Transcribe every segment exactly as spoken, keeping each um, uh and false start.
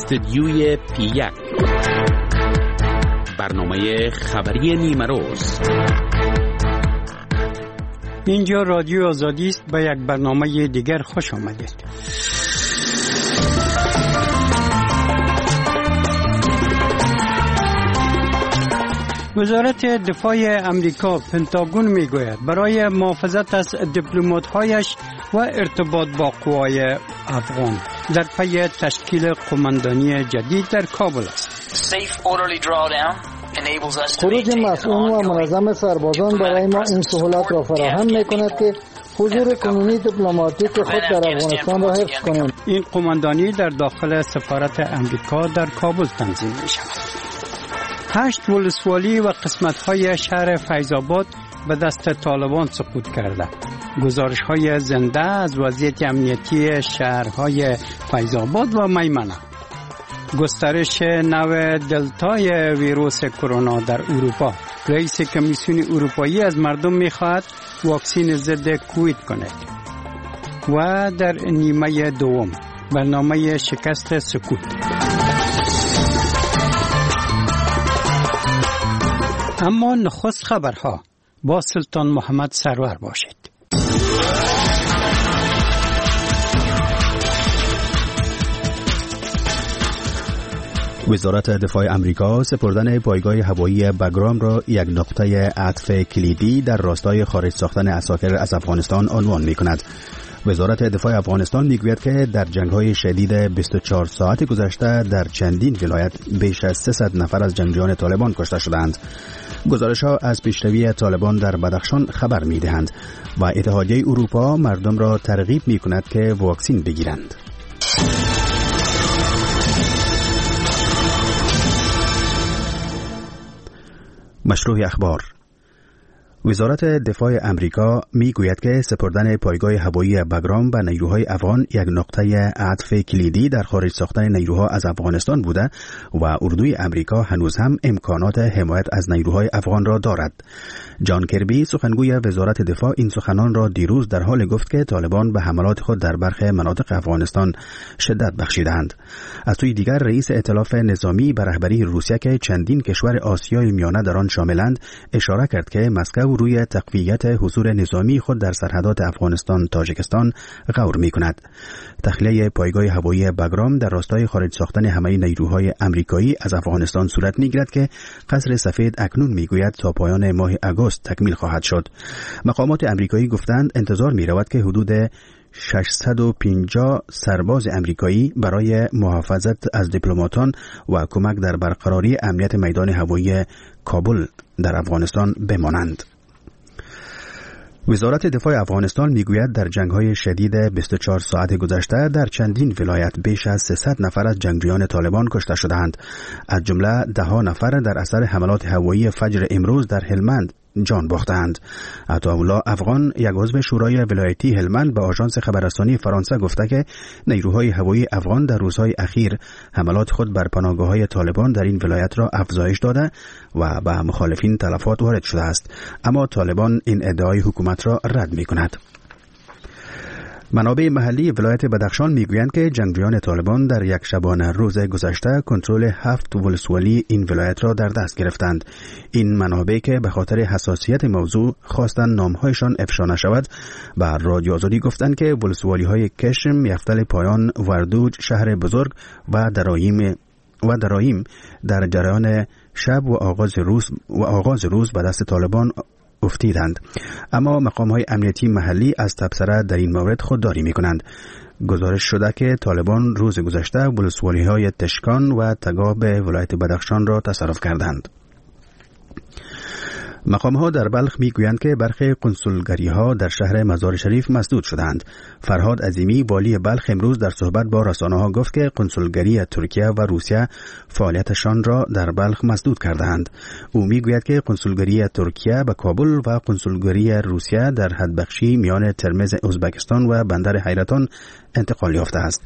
استدیوی پی یک، برنامه خبری نیمه روز. اینجا رادیو آزادی است. به یک برنامه دیگر خوش آمدید. وزارت دفاع امریکا پنتاگون میگوید برای محافظت از دیپلمات‌هایش و ارتباط با قوای افغان در پی تشکیل قماندانی جدید در کابل است. خروج مسئول و منظم سربازان برای ما این سهولت را فراهم می‌کند که حضور کنونی دیپلماتیک خود در افغانستان را حفظ کنیم. این قماندانی در داخل سفارت امریکا در کابل تنظیم می‌شود. هشت ولسوالی و قسمت‌های شهر فیض آباد به دست طالبان سقوط کرده. گزارش‌های زنده از وضعیت امنیتی شهرهای فیض آباد و میمنه. گسترش نوع دلتای ویروس کرونا در اروپا. رئیس کمیسیون اروپایی از مردم می‌خواهد واکسین ضد کووید کند. و در نیمه دوم برنامه شکست سکوت. اما نخست خبرها با سلطان محمد سرور باشید. وزارت دفاع امریکا سپردن پایگاه هوایی بگرام را یک نقطه عطف کلیدی در راستای خارج ساختن عساکر از افغانستان عنوان می کند. وزارت دفاع افغانستان میگوید که در جنگ‌های شدید بیست و چهار ساعت گذشته در چندین ولایت بیش از سیصد نفر از جنگجویان طالبان کشته شدند. گزارش‌ها از پیشروی طالبان در بدخشان خبر می‌دهند و اتحادیه اروپا مردم را ترغیب می‌کند که واکسن بگیرند. مشروع اخبار. وزارت دفاع امریکا میگوید که سپردن پایگاه هوایی بگرام به نیروهای افغان یک نقطه عطف کلیدی در خارج ساختن نیروها از افغانستان بوده و اردوی امریکا هنوز هم امکانات حمایت از نیروهای افغان را دارد. جان کربی سخنگوی وزارت دفاع این سخنان را دیروز در حال گفت که طالبان به حملات خود در برخی مناطق افغانستان شدت بخشیدند. از سوی دیگر رئیس ائتلاف نظامی به رهبری روسیه که چندین کشور آسیای میانه در آن شاملند اشاره کرد که مسکو روی تقویت حضور نظامی خود در سرحدات افغانستان تاجیکستان غور می کند. تخلیه پایگاه هوایی بگرام در راستای خارج ساختن همه نیروهای امریکایی از افغانستان صورت می گیرد که قصر سفید اکنون می گوید تا پایان ماه آگوست تکمیل خواهد شد. مقامات امریکایی گفتند انتظار می رود که حدود ششصد و پنجاه سرباز امریکایی برای محافظت از دیپلماتان و کمک در برقراری امنیت میدان هوایی کابل در افغانستان بمانند. وزارت دفاع افغانستان میگوید در جنگ‌های شدید بیست و چهار ساعت گذشته در چندین ولایت بیش از سیصد نفر از جنگجویان طالبان کشته شدند. از جمله ده ها نفر در اثر حملات هوایی فجر امروز در هلمند جان باختند. عطاالله افغان یک عضو شورای ولایتی هلمند به آژانس خبررسانی فرانسه گفته که نیروهای هوایی افغان در روزهای اخیر حملات خود بر پناهگاه‌های طالبان در این ولایت را افزایش داده و به مخالفین تلفات وارد شده است. اما طالبان این ادعای حکومت را رد می‌کند. منابع محلی ولایت بدخشان میگویند که جنگجویان طالبان در یک شبانه روز گذشته کنترل هفت ولسوالی این ولایت را در دست گرفتند. این منابع که به خاطر حساسیت موضوع خواستند نامهایشان افشا نشود به رادیو آزادی گفتند که ولسوالی‌های کشم، یفتل پایان، وردوج، شهر بزرگ و درایم و درایم در جریان شب و آغاز روز و آغاز روز به دست طالبان افتیدند. اما مقام های امنیتی محلی از تبصره در این مورد خودداری می کنند. گزارش شده که طالبان روز گذشته ولسوالی های تشکان و تگاب ولایت بدخشان را تصرف کردند. مقام ها در بلخ می گویند که برخی کنسولگری ها در شهر مزار شریف مسدود شدند. فرهاد عظیمی والی بلخ امروز در صحبت با رسانه ها گفت که کنسولگری ترکیه و روسیه فعالیتشان را در بلخ مسدود کردند. او می گوید که کنسولگری ترکیه به کابل و کنسولگری روسیه در حدبخشی میان ترمز ازبکستان و بندر حیرتان انتقال یافته است.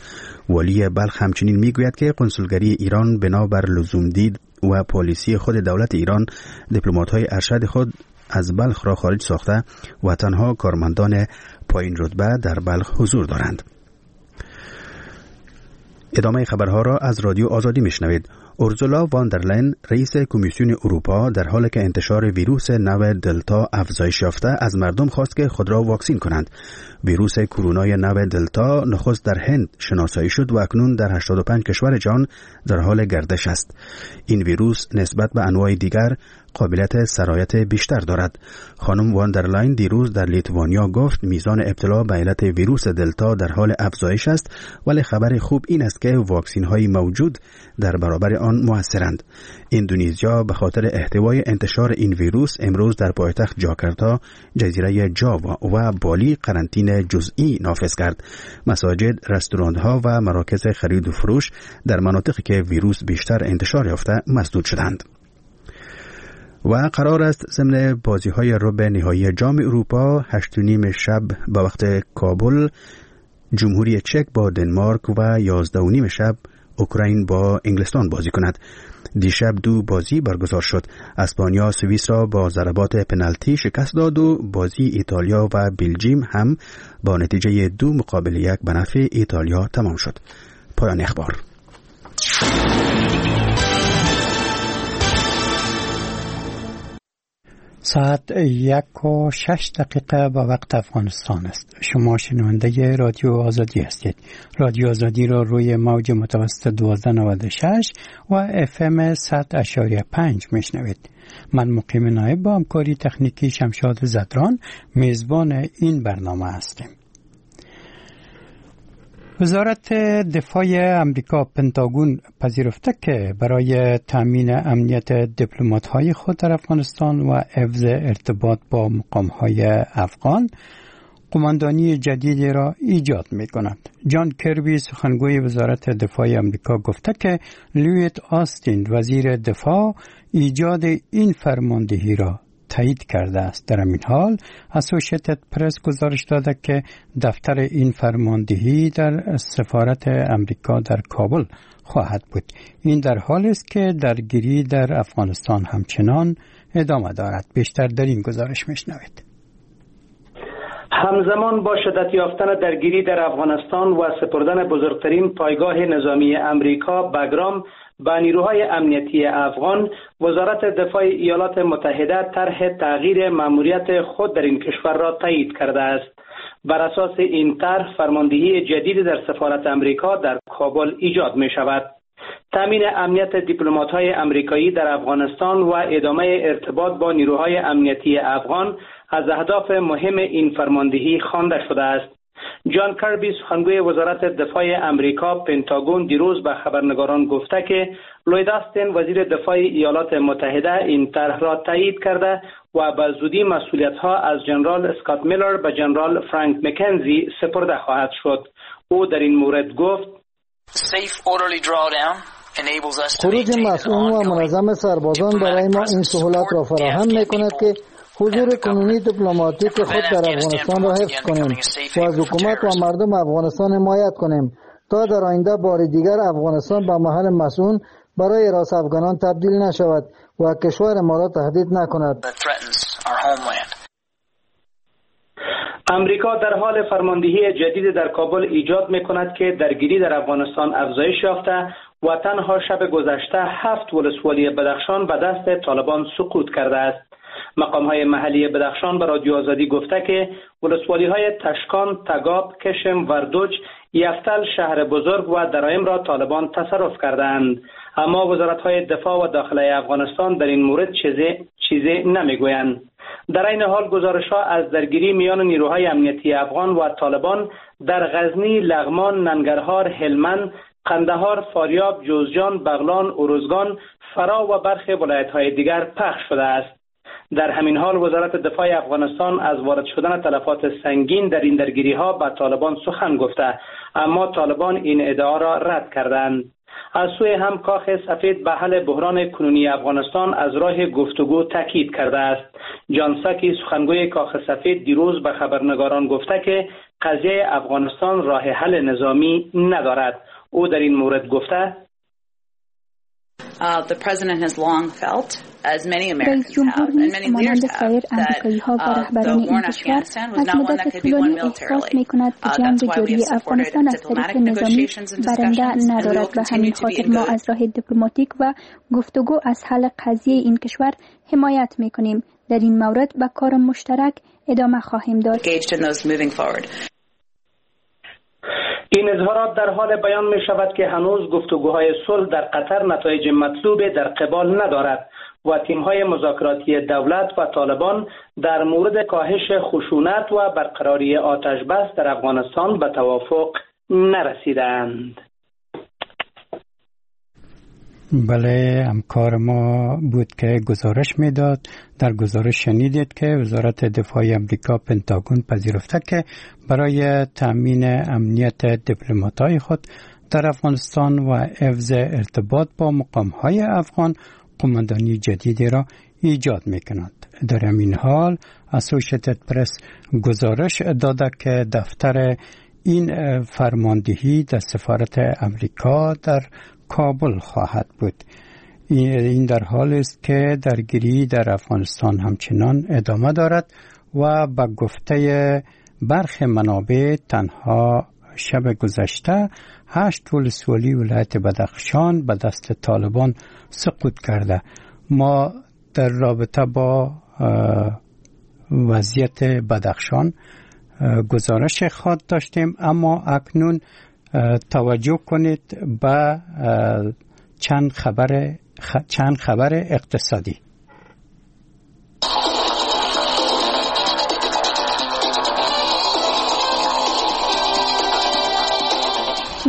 والی بلخ همچنین می گوید که کنسولگری ایران بنابر لزوم دید و پالیسی خود دولت ایران دیپلمات‌های ارشد خود از بلخ را خارج ساخته و تنها کارمندان پایین رتبه در بلخ حضور دارند. ادامه خبرها را از رادیو آزادی میشنوید. اورزولا واندرلین، رئیس کمیسیون اروپا، در حالی که انتشار ویروس نو دلتا افزایش یافته، از مردم خواست که خود را واکسین کنند. ویروس کرونای نو دلتا نخست در هند شناسایی شد و اکنون در هشتاد و پنج کشور جهان در حال گردش است. این ویروس نسبت به انواع دیگر قابلیت سرایت بیشتر دارد. خانم واندرلاین دیروز در لیتوانیا گفت میزان ابتلا به علت ویروس دلتا در حال افزایش است، ولی خبر خوب این است که واکسین های موجود در برابر آن موثرند. اندونزیا به خاطر احتوای انتشار این ویروس امروز در پایتخت جاکارتا، جزیره جاوا و بالی قرنطینه جزئی نافذ کرد. مساجد، رستوران ها و مراکز خرید و فروش در مناطقی که ویروس بیشتر انتشار یافته مسدود شدند. و قرار است ضمن بازی‌های ربع نهایی جام اروپا هشت و نیم شب به وقت کابل جمهوری چک با دنمارک و یازده و نیم شب اوکراین با انگلستان بازی کند. دیشب دو بازی برگزار شد. اسپانیا سوئیس را با ضربات پنالتی شکست داد و بازی ایتالیا و بلژیم هم با نتیجه دو مقابل یک به نفع ایتالیا تمام شد. پایان اخبار. ساعت یک و شش دقیقه به وقت افغانستان است. شما شنونده رادیو آزادی هستید. رادیو آزادی را روی موج متوسط دوازده نود و شش و اف ام صد اعشاریه پنج میشنوید. من مقیم نایب با همکاری تکنیکی شمشاد زدران میزبان این برنامه هستیم. وزارت دفاع امریکا پنتاگون پذیرفته که برای تامین امنیت دیپلمات‌های خود در افغانستان و حفظ ارتباط با مقام‌های افغان قماندانی جدیدی را ایجاد می‌کند. جان کربی سخنگوی وزارت دفاع امریکا گفته که لوید آستین وزیر دفاع ایجاد این فرماندهی را تایید کرده است. در این حال اسوسییتد پرس گزارش داده که دفتر این فرماندهی در سفارت امریکا در کابل خواهد بود. این در حال است که درگیری در افغانستان همچنان ادامه دارد. بیشتر در این گزارش میشنوید. همزمان با شدت یافتن درگیری در افغانستان و سپردن بزرگترین پایگاه نظامی امریکا بگرام با نیروهای امنیتی افغان، وزارت دفاع ایالات متحده طرح تغییر ماموریت خود در این کشور را تایید کرده است. بر اساس این طرح فرماندهی جدید در سفارت امریکا در کابل ایجاد می شود. تامین امنیت دیپلمات‌های امریکایی در افغانستان و ادامه ارتباط با نیروهای امنیتی افغان از اهداف مهم این فرماندهی خوانده شده است. جان کربی سخنگوی وزارت دفاع امریکا پنتاگون دیروز به خبرنگاران گفته که لوید آستین وزیر دفاع ایالات متحده این طرح را تایید کرده و به زودی مسئولیت‌ها از جنرال اسکات میلر به جنرال فرانک مکنزی سپرده خواهد شد. او در این مورد گفت: خروج مسئول و منظم سربازان برای ما این سهولت را فراهم می‌کند که حضور کنونی دیپلماتیک خود در افغانستان را حفظ کنیم و از حکومت و مردم افغانستان حمایت کنیم تا در آینده بار دیگر افغانستان به محل مسئول برای راس افغانان تبدیل نشود و کشور ما را تهدید نکند. امریکا در حال فرماندهی جدید در کابل ایجاد می‌کند که درگیری در افغانستان افزایش یافته و تنها شب گذشته هفت ولسوالی بدخشان به دست طالبان سقوط کرده است. مقام‌های محلی بدخشان به رادیو آزادی گفته که ولسوالی‌های تشکان، تگاب، کشم، وردوج، یفتل، شهر بزرگ و درایم را طالبان تصرف کردند. اما وزارت‌های دفاع و داخله افغانستان در این مورد چیزی چیزی نمی‌گویند. در این حال گزارش‌ها از درگیری میان نیروهای امنیتی افغان و طالبان در غزنی، لغمان، ننگرهار، هلمند، قندهار، فاریاب، جوزجان، بغلان، اروزگان، فراه و برخی ولایت‌های دیگر پخش شده است. در همین حال وزارت دفاع افغانستان از وارد شدن تلفات سنگین در این درگیری‌ها به طالبان سخن گفته، اما طالبان این ادعا را رد کردند. از سوی هم کاخ سفید به حل بحران کنونی افغانستان از راه گفتگو تاکید کرده است. جان ساکی سخنگوی کاخ سفید دیروز به خبرنگاران گفته که قضیه افغانستان راه حل نظامی ندارد. او در این مورد گفته: رئیس جمهور نیز مانند سایر امریکایی ها و رهبران این کشور از مدت طولانی احساس می کند که جنگ جاری افغانستان از طریق نظامی برنده ندارد. به همین خاطر ما از راه دیپلماتیک و گفتگو از حل قضیه این کشور حمایت می کنیم. در این مورد به کار مشترک ادامه خواهیم داد. این اظهارات در حال بیان می شود که هنوز گفتگوهای صلح در قطر نتایج مطلوب در قبال ندارد و تیم‌های مذاکراتی دولت و طالبان در مورد کاهش خشونت و برقراری آتش بس در افغانستان به توافق نرسیدند. بله، همکار ما بود که گزارش میداد. در گزارش شنیدید که وزارت دفاع امریکا پنتاگون پذیرفته که برای تامین امنیت دیپلمات‌های خود در افغانستان و حفظ ارتباط با مقام‌های افغان قوماندانی جدیدی را ایجاد می‌کند. در همین حال اسوسییتد پرس گزارش داده که دفتر این فرماندهی در سفارت امریکا در کابل خواهد بود. این در حال است که درگیری در افغانستان همچنان ادامه دارد و به گفته برخی منابع تنها شب گذشته هشت ولسوالی ولایت بدخشان به دست طالبان سقوط کرده. ما در رابطه با وضعیت بدخشان گزارش خود داشتیم، اما اکنون توجه کنید به چند خبر چند خبر اقتصادی.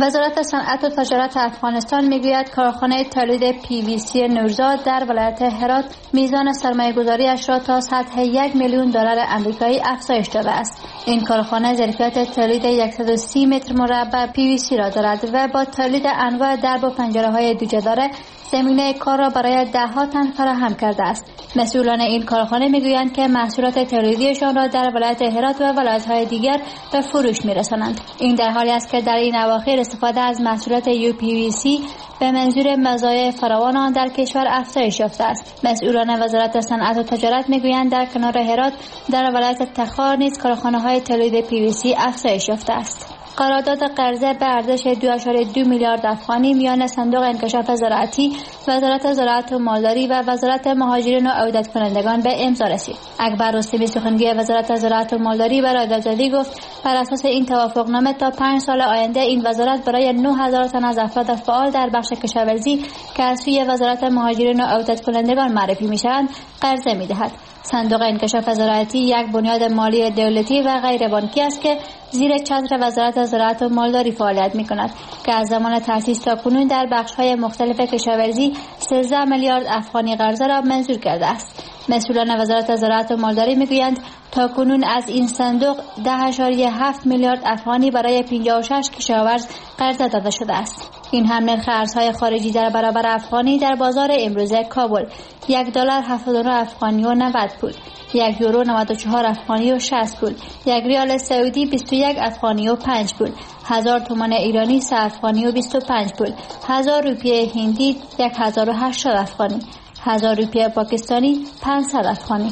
وزارت صنعت و تجارت افغانستان میگوید کارخانه تولید پی وی سی نورزاد در ولایت هرات میزان سرمایه‌گذاری‌اش را تا سطح یک میلیون دلار آمریکایی افزایش داده است. این کارخانه ظرفیت تولید صد و سی متر مربع پی وی سی را دارد و با تولید انواع درب و پنجره‌های دوجداره زمینه کار را برای ده‌ها تن فراهم کرده است. مسئولان این کارخانه میگویند که محصولات تولیدیشان را در ولایت هرات و ولایت‌های دیگر به فروش می‌رسانند. این در حالی است که در این اواخر استفاده از محصولات یو پی وی سی به منظور مزایای فراوان آن در کشور افزایش یافته است. مسئولان وزارت صنعت و تجارت میگویند در کنار هرات در ولایت تخار نیز کارخانه‌های تولید پی وی سی افزایش یافته است. قرارداد قرضه به ارزش دو اعشاریه دو میلیارد افغانی میان صندوق انکشاف زراعتی، وزارت زراعت و مالداری و وزارت مهاجرین و عودت کنندگان به امضا رسید. اکبر رستمی سخنگوی وزارت زراعت و مالداری برای آزادی گفت بر اساس این توافقنامه تا پنج سال آینده این وزارت برای نه هزار تن از افراد فعال در بخش کشاورزی که از سوی وزارت مهاجرین و عودت کنندگان معرفی می‌شوند قرضه می‌دهد. صندوق انکشاف زراعتی یک بنیاد مالی دولتی و غیر بانکی است که زیر چتر وزارت زراعت و مالداری فعالیت می‌کند که از زمان تأسیس تا کنون در بخش‌های مختلف کشاورزی سیزده میلیارد افغانی قرضه را منظور کرده است. مسئولان وزارت زراعت و مالداری می‌گویند تا کنون از این صندوق ده اعشاریه هفت میلیارد افغانی برای پنجاه و شش کشاورز قرضه داده شده است. این هم نرخ ارزهای خارجی در برابر افغانی در بازار امروز کابل: یک دلار هفتاد و نه افغانی و نود پول، یک یورو نود و چهار افغانی و شصت پول، یک ریال سعودی بیست و یک افغانی و پنج پول، هزار تومان ایرانی سه افغانی و بیست و پنج پول، هزار روپیه هندی یک هزار و هشتاد افغانی، هزار روپیه پاکستانی پانصد افغانی.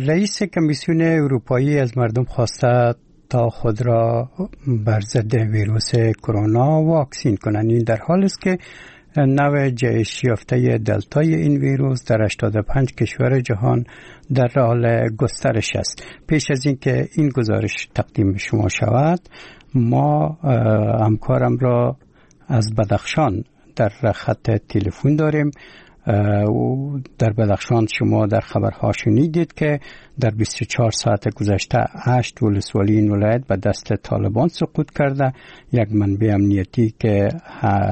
رئیس کمیسیون اروپایی از مردم خواسته تا خود را بر ضد ویروس کرونا واکسین کنند. این در حال است که نوع جهش یافته دلتای این ویروس در هشتاد و پنج کشور جهان در حال گسترش است. پیش از اینکه این گزارش تقدیم شما شود، ما همکارم را از بدخشان در خط تلفن داریم. در بدخشان شما در خبرها شنیدید که در بیست و چهار ساعت گذشته هشت ولسوالی این ولایت به دست طالبان سقوط کرده. یک منبع امنیتی که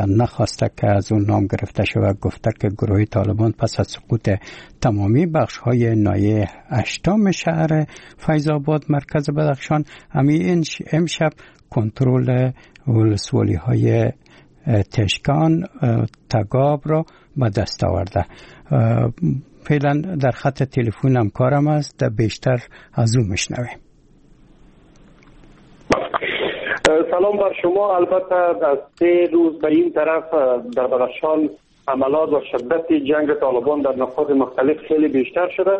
نخواسته که از اون نام گرفته شود گفته که گروه طالبان پس از سقوط تمامی بخش های ناحیه هشتم شهر فیض آباد مرکز بدخشان همین امشب کنترل ولسوالی های تشکان تگاب را به دست آورده. فعلا در خط تلفن همکارم است، بیشتر از او میشنویم. سلام بر شما. البته از سه روز به این طرف در بدخشان حملات و شدت جنگ طالبان در نقاط مختلف خیلی بیشتر شده.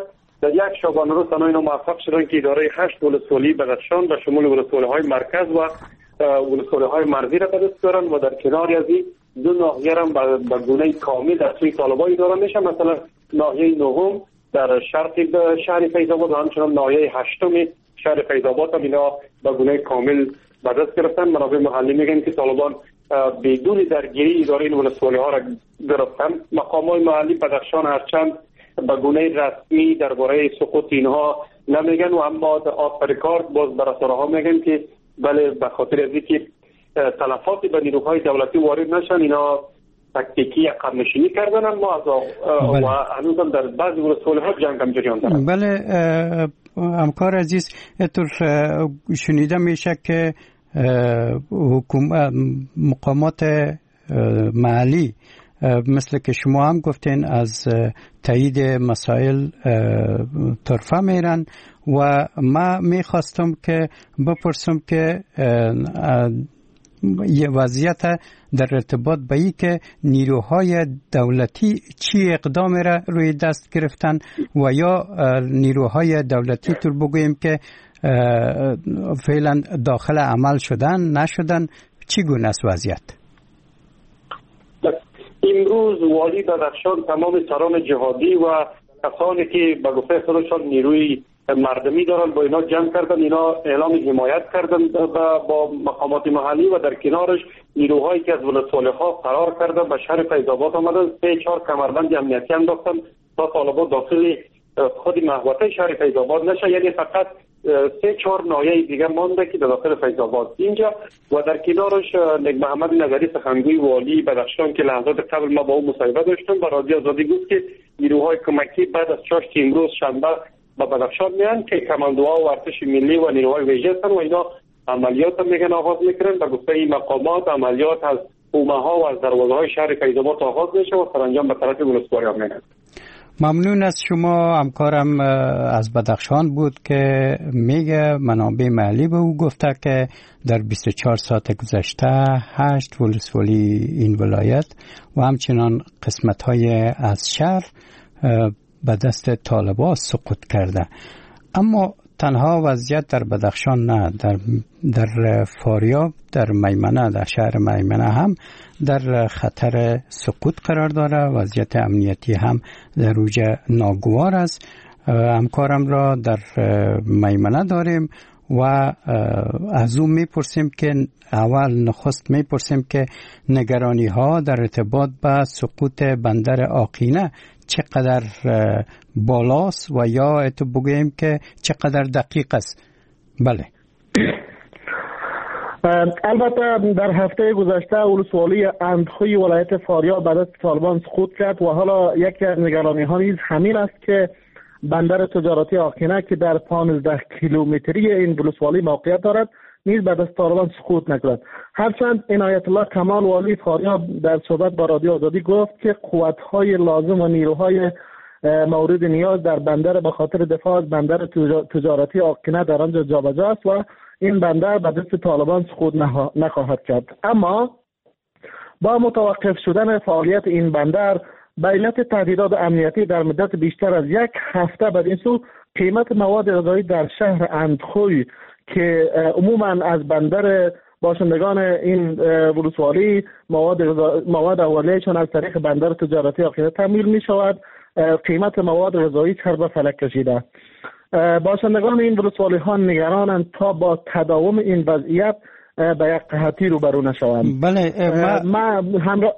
در یک شبانه روز تنها اینا موفق شدن که اداره هشت ولسوالی بدخشان به شمول ولسوالی‌های مرکز و ولسوالی‌های مرزی را به دست بیارن و در کنار از این دو ناحیه هم به گونه کامل در سوی طالبان اداره میشه، مثلا ناحیه نهم در شرق شهر فیض آباد و همچنان ناحیه هشتم شهر فیض آباد هم اینا به گونه کامل به دست گرفتن. منابع محلی میگن که طالبان بدون درگیری اداره این ولسوالی‌ها را گرفتن. مقامات محلی بدخشان هرچند به گونه رسمی درباره سقوط اینها نمیگن و اما در آخر کار باز بر رسانه‌ها میگن که بله، به خاطر از اینکه تلفاتی به نیروهای دولتی وارد نشن اینا تکتیکی عقب نشینی کردن، اما از و هنوز در بعضی ولسوالی‌ها جنگ هم جریان داره. بله همکار عزیز، اینطور شنیده میشه که حکومت مقامات محلی مثل که شما هم گفتین از تایید مسائل طرفه میرن و ما میخواستم که بپرسم که یه وضعیت در ارتباط به این که نیروهای دولتی چی اقدام را روی دست گرفتن و یا نیروهای دولتی طور بگوییم که فعلا داخل عمل شدن نشدن، چی گونه است وضعیت؟ امروز والی بدخشان تمام سران جهادی و کسانی که به گفته خودشان نیروی مردمی دارن با اینا جمع کردن، اینا اعلام حمایت کردن با مقامات محلی و در کنارش نیروهایی که از ولسوالی‌ها فرار کردن به شهر فیض آباد آمدن، سه چهار کمربند امنیتی انداختن تا طالبان داخل خود محوطه شهر فیض آباد نشه، یعنی فقط سه چهار ناحیه دیگه مانده که در داخل فیض آباد اینجا. و در کنارش نیک محمد نظری سخنگوی والی بدخشان که لحظات قبل ما با او مصاحبه داشتم با رادیو آزادی گفت که نیروهای کمکی بعد از چاشت امروز شنبه به بدخشان میان که کماندوها و ارتش ملی و نیروهای ویژه هستن و اینا عملیات میگن آغاز میکنن. به گفته این مقامات عملیات از حومه ها و از دروازه های شهر فیض آباد آغاز میشه و سرانجام به طرف ولسوالی ها میرن. ممنون از شما. همکارم از بدخشان بود که میگه منابع محلی به او گفته که در بیست و چهار ساعت گذشته هشت ولسوالی این ولایت و همچنان قسمت های از شهر به دست طالبان سقوط کرده. اما تنها وضعیت در بدخشان نه، در در فاریاب، در میمنه، در شهر میمنه هم در خطر سقوط قرار داره. وضعیت امنیتی هم در اوج ناگوار است. همکارم را در میمنه داریم و از او میپرسیم که اول نخست میپرسیم که نگرانی ها در ارتباط به سقوط بندر آقینه چقدر بالاست و یا اتو بگوییم که چقدر دقیق است. بله، البته در هفته گذشته ولسوالی اندخوی ولایت فاریاب به دست طالبان سقوط کرد و حالا یکی از نگرانی ها نیز همین است که بندر تجارتی آقینه که در پانزده کیلومتری این ولسوالی موقعیت دارد نیز به دست طالبان سقوط نکند. هرچند عنایت الله کمال والی فاریاب در صحبت با رادیو آزادی گفت که قوت‌های لازم و نیروهای مورد نیاز در بندر به خاطر دفاع از بندر تجارتی آقینه در آنجا جابجا است و این بندر به دست طالبان سقوط نخواهد کرد. اما با متوقف شدن فعالیت این بندر به علت تهدیدات امنیتی در مدت بیشتر از یک هفته بعد این سو قیمت مواد غذایی در شهر اندخوی که عموما از بندر باشندگان این ولسوالی مواد مواد اولیه‌شان از طریق بندر تجارتی آقینه تامین می شود، قیمت مواد غذایی سر به فلک کشیده. باشندگان این ولسوالی ها نگرانند تا با تداوم این وضعیت به یک قحطی روبرو نشوند. بله ما همراه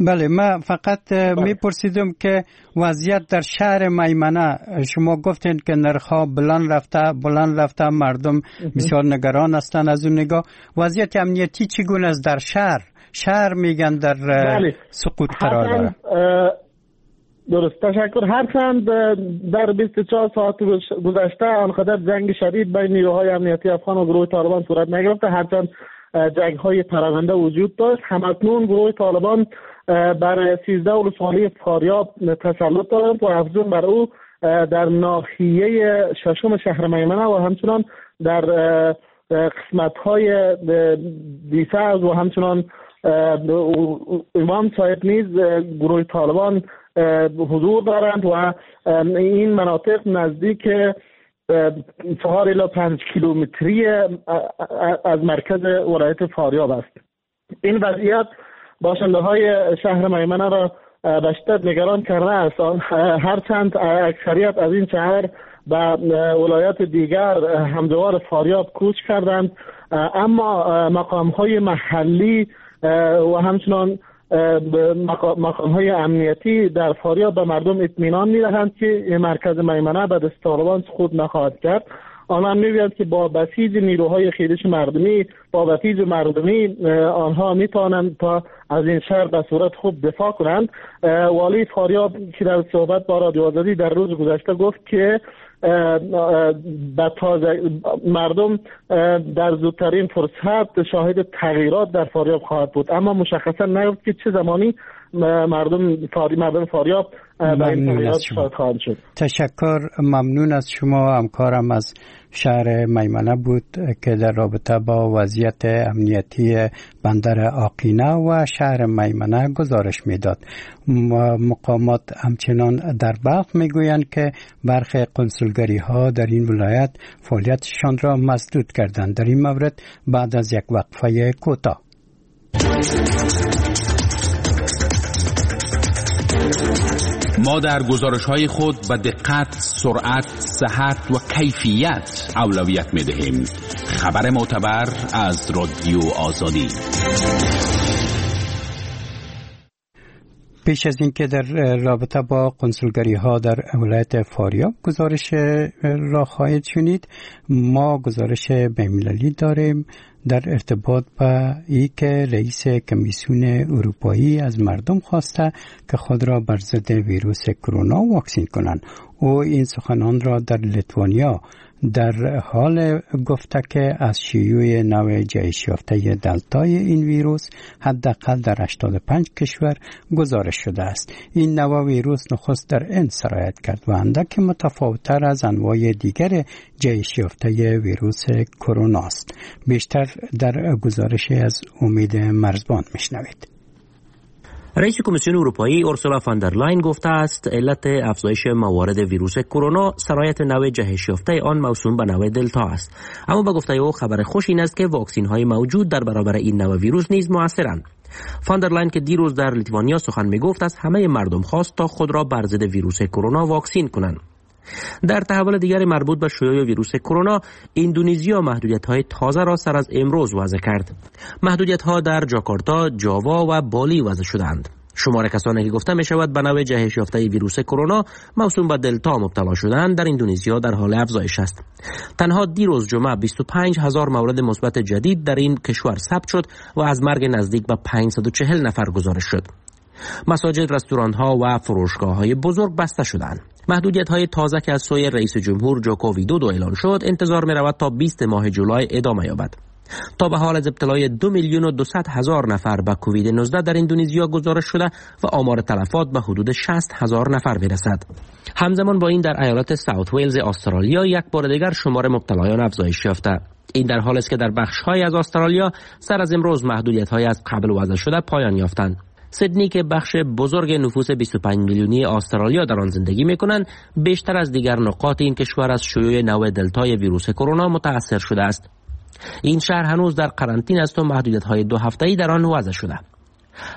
بله ما فقط میپرسیدم که وضعیت در شهر میمنه، شما گفتین که نرخ‌ها بلند رفته بلند رفته، مردم بسیار نگران هستند از اون نگاه. وضعیت امنیتی چگونه است در شهر؟ شهر میگن در بله. سقوط قرار داره. درست، تشکر. هرچند در بیست و چهار ساعت گذشته آنقدر جنگ شدید بین نیروهای امنیتی افغان و گروه طالبان صورت نگرفته، هرچند جنگ های پراکنده وجود داشت. همکنون گروه طالبان بر سیزده ولسوالی فاریاب تسلط دارند و افزون بر او در ناحیه ششم شهر میمنه و همچنان در قسمت های دیسرز و همچنان امام صاحب نیز گروه طالبان حضور دارند و این مناطق نزدیک چهار الی پنج کیلومتری از مرکز ولایت فاریاب است. این وضعیت باشنده های شهر میمنه را به شدت نگران کرده است. هرچند اکثریت از این شهر به ولایت دیگر همجوار فاریاب کوچ کردند، اما مقام های محلی و همچنان مقام های امنیتی در فاریاب به مردم اطمینان می‌دهند که مرکز میمنه به دست طالبان سقوط نخواهد کرد. آنها می‌گویند که با بسیج نیروهای خیرش مردمی، با بسیج مردمی آنها می‌توانند تا از این شهر به صورت خوب دفاع کنند. والی فاریاب که در صحبت با رادیو آزادی در روز گذشته گفت که به تازه مردم در زودترین فرصت شاهد تغییرات در فاریاب خواهد بود، اما مشخصا نگفت که چه زمانی مردم فاری مردم فاریاب به این تغییرات شاهد خواهند شد. تشکر، ممنون از شما. همکارم از شهر میمنه بود که در رابطه با وضعیت امنیتی بندر آقینه و شهر میمنه گزارش میداد. مقامات همچنان در بلخ میگویند که برخی قنسولگری ها در این ولایت فعالیتشان را مسدود کردند. در این مورد بعد از یک وقفه کوتاه. ما در گزارش‌های خود به دقت، سرعت، صحت و کیفیت اولویت می‌دهیم. خبر معتبر از رادیو آزادی. پیش از اینکه در رابطه با قنسولگری ها در ولایت فاریاب گزارش را خواهید شنید، ما گزارش بین‌المللی داریم در ارتباط با ای که رئیس کمیسیون اروپایی از مردم خواسته که خود را بر ضد ویروس کرونا واکسین کنند. او این سخنان را در لیتوانیا در حال گفته که از شیوع نوع جهش یافته دلتای این ویروس حداقل در هشتاد و پنج کشور گزارش شده است. این نوع ویروس نخست در هند سرایت کرد و اندک متفاوت‌تر از انواع دیگر جهش یافته ویروس کرونا است. بیشتر در گزارش از امید مرزبان میشنوید. رئیس کمیسیون اروپایی اورسولا فون در لاین گفته است علت افزایش موارد ویروس کرونا سرایت نوع جهش یافته آن موسوم به نوع دلتا است. اما به گفته او خبر خوش این است که واکسین های موجود در برابر این نوع ویروس نیز موثرند. فون در لاین که دیروز در لیتوانیا سخن می گفت از همه مردم خواست تا خود را بر ضد ویروس کرونا واکسین کنند. در تحول دیگر مربوط به شیوع ویروس کرونا، اندونزیا محدودیت‌های تازه را سر از امروز وضع کرد. محدودیت‌ها در جاکارتا، جاوا و بالی وضع شدند. شمار کسانی که گفته می‌شود به نوع جهش یافته ویروس کرونا موسوم به دلتا مبتلا شدند در اندونزیا در حال افزایش است. تنها دیروز جمعه بیست و پنج هزار مورد مثبت جدید در این کشور ثبت شد و از مرگ نزدیک به پانصد و چهل نفر گزارش شد. مساجد، رستوران‌ها و فروشگاه‌های بزرگ بسته شدند. محدودیت‌های تازه که از سوی رئیس جمهور جوکو ویدودو اعلان شد، انتظار می‌رود تا بیست ماه جولای ادامه یابد. تا به حال از ابتلای دو میلیون و دویست هزار نفر به کووید نوزده در اندونزیا گزارش شده و آمار تلفات به حدود شصت هزار نفر می‌رسد. همزمان با این در ایالت ساوت ویلز استرالیا یک بار دیگر شمار مبتلایان افزایش یافته. این در حالی است که در بخش‌های از استرالیا سر از امروز محدودیت‌های از قبل وضع شده پایان یافتند. سیدنی که بخش بزرگ نفوس بیست و پنج میلیونی استرالیا در آن زندگی می‌کنند، بیشتر از دیگر نقاط این کشور از شیوع نوع دلتای ویروس کرونا متأثر شده است. این شهر هنوز در قرنطینه است و محدودیت‌های دو هفته‌ای در آن وضع شده.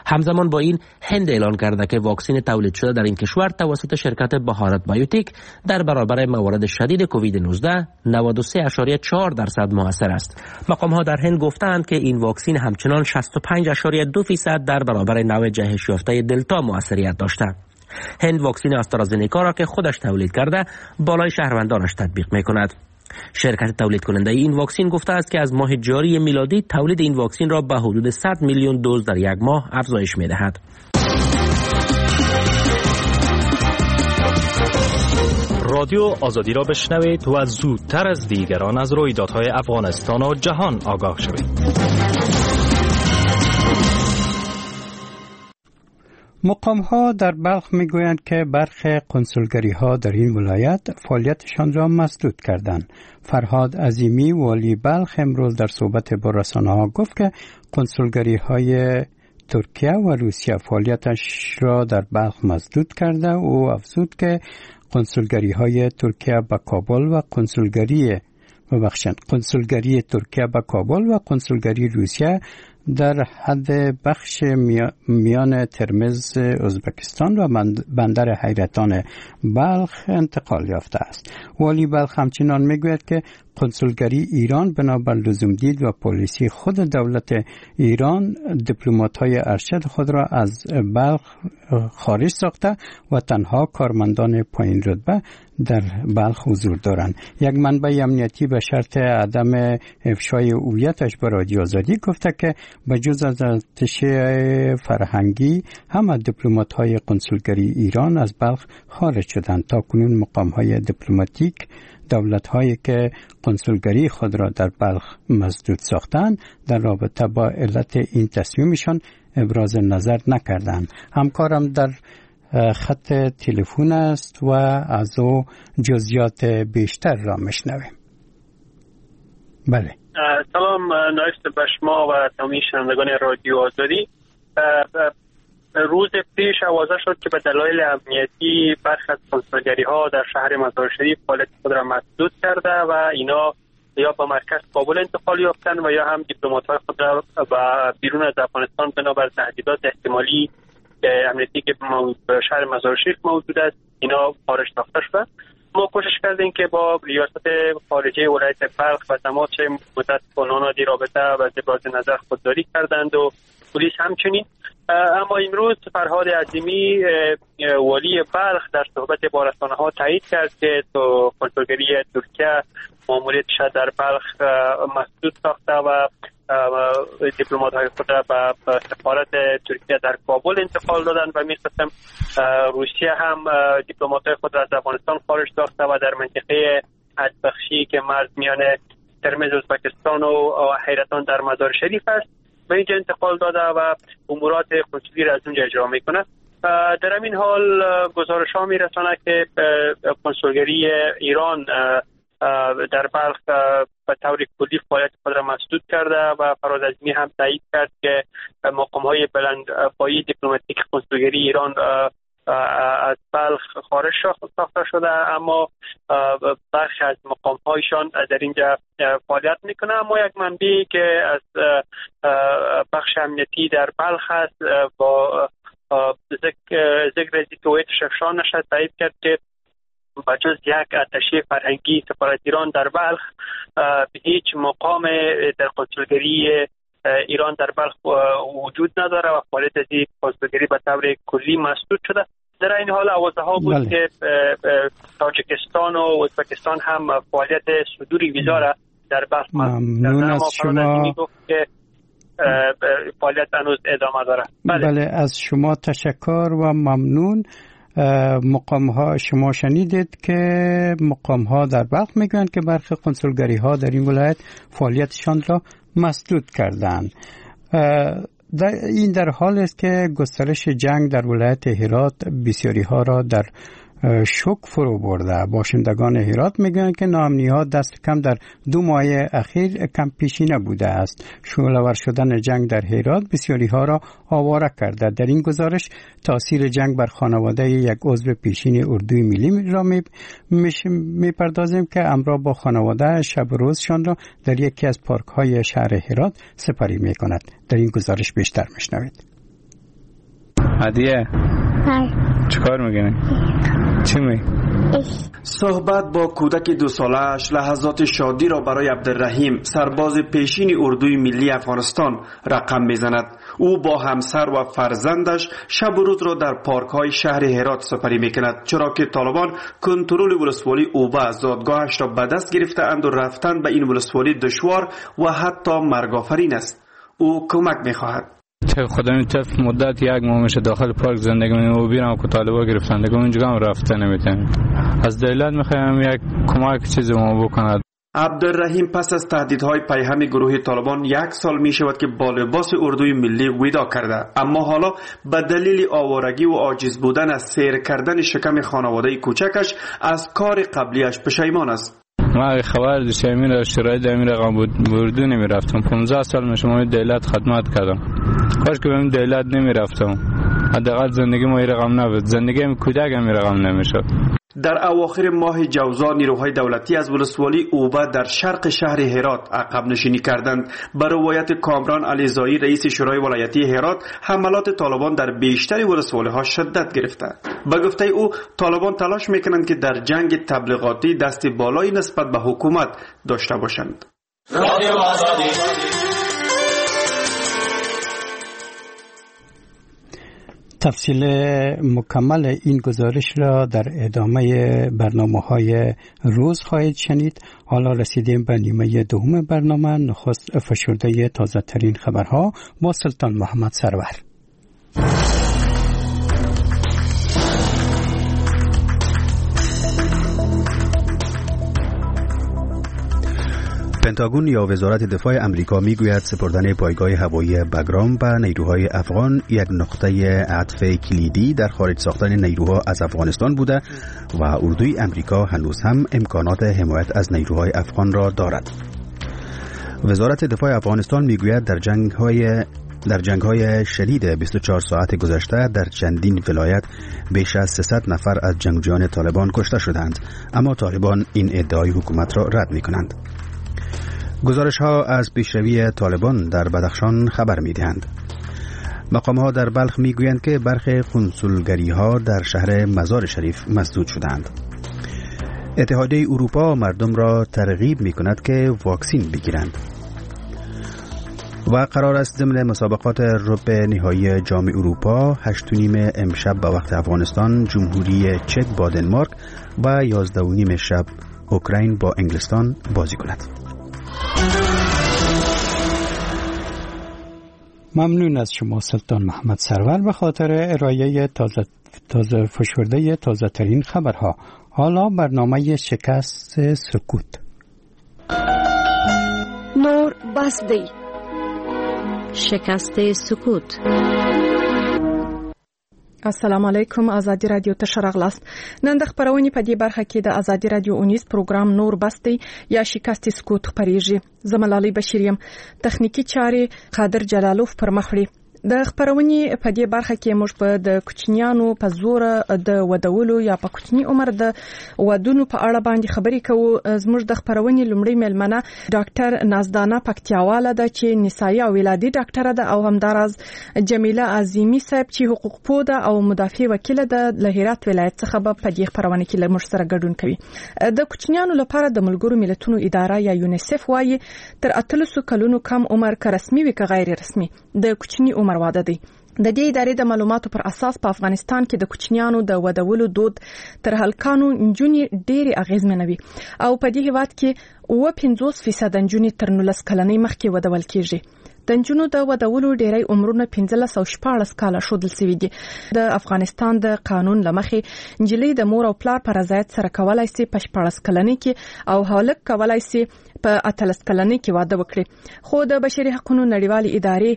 همزمان با این هند اعلان کرده که واکسن تولید شده در این کشور توسط شرکت بهارت بایوتک در برابر موارد شدید کووید نوزده نود و سه اعشاریه چهار درصد موثر است. مقام‌ها در هند گفتند که این واکسن همچنان شصت و پنج اعشاریه دو درصد در برابر نوع جهش یافته دلتا موثریت داشته. هند واکسن آسترازنکا را که خودش تولید کرده بالای شهروندانش تطبیق می‌کند. شرکت تولید کننده این واکسن گفته است که از ماه جاری میلادی تولید این واکسن را به حدود صد میلیون دوز در یک ماه افزایش می‌دهد. رادیو آزادی را بشنوید و زودتر از دیگران از رویدادهای افغانستان و جهان آگاه شوید. مقام ها در بلخ میگویند که برخی کنسولگری ها در این ولایت فعالیتشان را مسدود کردند. فرهاد عظیمی، والی بلخ، امروز در صحبت با رسانه ها گفت که کنسولگری های ترکیه و روسیه فعالیتش را در بلخ مسدود کرده. او افزود که کنسولگری های ترکیه به کابل و کنسولگری ببخشند کنسولگری ترکیه به کابل و کنسولگری روسیه در حد بخش میان ترمز ازبکستان و بندر حیرتان بلخ انتقال یافته است. والی بلخ همچنان میگوید که کنسولگری ایران بنابر لزوم دید و پالیسی خود دولت ایران دیپلمات‌های ارشد خود را از بلخ خارج ساخته و تنها کارمندان پایین رتبه در بلخ حضور دارند. یک منبع امنیتی به شرط عدم افشای هویتش به رادیو آزادی گفته که به جز از اتشه فرهنگی همه دیپلمات‌های کنسولگری ایران از بلخ خارج شدند. تا کنون مقام‌های دیپلماتیک دولت‌هایی که کنسولگری خود را در بلخ مسدود ساختند در رابطه با علت این تصمیمشان ابراز نظر نکردند. همکارم در خط تلفن است و از او جزئیات بیشتر را میشنویم. بله، سلام نایست به شما و تمامی شنوندگان رادیو آزادی. روز پیش آوازه شد که به دلایل امنیتی برخی از کنسولگری ها در شهر مزار شریف فعالیت خود را مسدود کرده و اینا یا به مرکز کابل انتقال یافتند و یا هم دیپلمات های خود را به بیرون از افغانستان بنابر تهدیدات احتمالی امنیتی که شهر مزار شریف موجود است اینا خارج ساخته شدند. ما کوشش کردیم که با ریاست خارجه ولایت بلخ و تماس مدت با نادی رابطه و ابراز نظر خودداری کردند و پلیس همچنین. اما امروز فرهاد عظیمی، والی بلخ، در صحبت با رسانه‌ها تایید کرد که تو کنسولگری ترکیه ماموریتش در بلخ مسدود ساخته و دیپلمات‌های خود را به سفارت ترکیه در کابل انتقال دادند و می‌خواستم روسیه هم دیپلمات‌های خود را از افغانستان خارج ساخته و در منطقه حدبخشی که مرز میان ترمز ازبکستان و حیرتان در مزار شریف است به اینجا انتقال داده و امورات کنسولی را از اونجا اجرا میکنه. در همین حال گزارش ها میرسانه که کنسولگری ایران در بلخ به طور کلی فعالیت خود را مسدود کرده و فرهاد عظیمی هم تایید کرد که مقام های بلند پایه دیپلماتیک کنسولگری ایران از بلخ خارج ساخته شده، اما برخی از مقام هایشان در اینجا فعالیت میکنه. اما یک منبعی که از بخش امنیتی در بلخ است با ذکر از اینکه هویتش افشا نشد تایید کرد که با جز یک اتشه فرهنگی سفارت ایران در بلخ به هیچ مقام در کنسولگری ایران در بلخ وجود نداره و فعالیت از این کنسولگری به طور کلی مسدود شده. در این حال آوازه ها بود بله. که تاجیکستان و ازبکستان هم فعالیت صدور ویزا را در بلخ ممنون از شما. گفت که فعالیت هنوز ادامه داره. بله. بله از شما تشکر و ممنون. مقام ها شما شنیدید که مقام ها در بلخ میگویند که برخی کنسولگری ها در این ولایت فعالیتشان را مسدود کردند. در این در حال است که گسترش جنگ در ولایت هرات بسیاری ها را در شوک فرو برده. باشندگان هرات میگویند که ناامنی ها دست کم در دو ماه اخیر کم پیشینه بوده است. شعله‌ور شدن جنگ در هرات بسیاری ها را آواره کرده. در این گزارش تاثیر جنگ بر خانواده یک عضو پیشین اردوی ملی را می پردازیم که همراه با خانواده شب روزشان را در یکی از پارک های شهر هرات سپری می کند. در این گزارش بیشتر میشنوید. عدیه چیکار میکنی؟ چی می؟ صحبت با کودک دو ساله‌اش لحظات شادی را برای عبدالرحیم، سرباز پیشین اردوی ملی افغانستان، رقم میزند. او با همسر و فرزندش شب و روز را در پارک‌های شهر هرات سپری میکند، چرا که طالبان کنترل ولسوالی اوبه زادگاهش را به دست گرفته‌اند و رفتن به این ولسوالی دشوار و حتی مرگ‌آفرین است. او کمک می‌خواهد. خدا این طرف مدت یک ماه میشه داخل پارک زندگی می‌کنیم و بیرم که طالبا گرفتن دیگه اونجا هم رفته نمیتونیم. از دولت میخوایم یک کمک چیزی ما بکند. عبدالرحیم پس از تهدیدهای پیهم گروه طالبان یک سال می شود که با لباس اردوی ملی ودا کرده، اما حالا به دلیل آوارگی و عاجز بودن از سیر کردن شکم خانواده کوچکش از کار قبلیش پشیمان است. ما خبر داشتم این شرایط امیر رقم بود اردو نمی رفتم. پانزده سال میشه ما دولت خدمت کردم. کاش که به دولت نمی رفتم. حداقل زندگی ما این رقم نبود. زندگی کودک هم این رقم نمیشد. در اواخر ماه جوزا نیروهای دولتی از ولسوالی اوبه در شرق شهر هرات عقب نشینی کردند. به روایت کامران علیزایی رئیس شورای ولایتی هرات، حملات طالبان در بیشتر ولسوالی‌ها شدت گرفته. به گفته او طالبان تلاش میکنند که در جنگ تبلیغاتی دست بالایی نسبت به حکومت داشته باشند. تفصیل مکمل این گزارش را در ادامه برنامه‌های روز خواهید شنید. حالا رسیدیم به نیمه دوم برنامه. نخست فشرده تازه ترین خبرها با سلطان محمد سرور. پنتاگون یا وزارت دفاع امریکا میگوید سپردن پایگاه هوایی بگرام به نیروهای افغان یک نقطه عطف کلیدی در خارج ساختن نیروها از افغانستان بوده و اردوی امریکا هنوز هم امکانات حمایت از نیروهای افغان را دارد. وزارت دفاع افغانستان میگوید در جنگ‌های در جنگ‌های شدید بیست و چهار ساعت گذشته در چندین ولایت بیش از سیصد نفر از جنگجویان طالبان کشته شدند، اما طالبان این ادعای حکومت را رد می‌کنند. گزارش ها از پیشروی طالبان در بدخشان خبر می دهند. مقام ها در بلخ می گویند که برخی کنسولگری ها در شهر مزار شریف مسدود شدند. اتحادیه اروپا مردم را ترغیب می کند که واکسین بگیرند. و قرار است ضمن مسابقات ربع نهایی جام اروپا هشت و نیم امشب به وقت افغانستان جمهوری چک با دنمارک و یازده و نیم شب اوکراین با انگلستان بازی کند. ممنون از شما سلطان محمد سرور به خاطر ارائه تازه تازه فشرده تازه ترین خبرها. حالا برنامه شکست سکوت. نور بس دی. شکست سکوت. السلام علیکم، ازادي رادیو ته ښه راغلاست. نن د خپرونې په دې برخه کې د ازادي رادیو اونیز پروګرام نور بس دی یا شکست سکوت خپرېږي. زه ملالۍ بشیر یم. تخنیکي چارې قادر جلالوف پر مخ وړي. د خپرونې په دې برخه کې موږ په د کوچنیانو په زور د ودولو یا په کوچني عمر د ودونو په اړه باندې خبرې کوو. زموږ د خپرونې لومړۍ میلمنه ډاکټر نازدانه پکتیاواله ده چې نسایي او ولادي ډاکټره ده، او همداراز جمیله عظیمي صاحب چې حقوقپوه ده او مدافع وکیله ده له هرات ولایت څخه به په دې خپرونه کې له موږ سره ګډون کوي. د کوچنیانو لپاره د ملګرو ملتونو اداره یا یونیسف وایي تر اتلسو کلونو کم عمر که رسمي وي که غیر رسمي د کوچني عمر واده دی. د دې ادارې د معلوماتو پر اساس په افغانستان کې د کوچنیانو د ودولو دود تر هلکانو نجونې ډېرې اغېزمنوي او په دې هیواد کې اووه پنځوس فیصده نجونې تر نولس کلنۍ مخکې ودول کیږي. د نجونو د ودولو ډېری عمرونه پنځلس او شپاړس کاله ښودل شوي دي. د افغانستان د قانون له مخې نجلۍ د مور او پلار په رضایت سره کولای شي په شپاړس کلنۍ کې او هلک کولای شي په اتلس کلنۍ کې واده وکړي. خو د بشري حقونو نړیوالې ادارې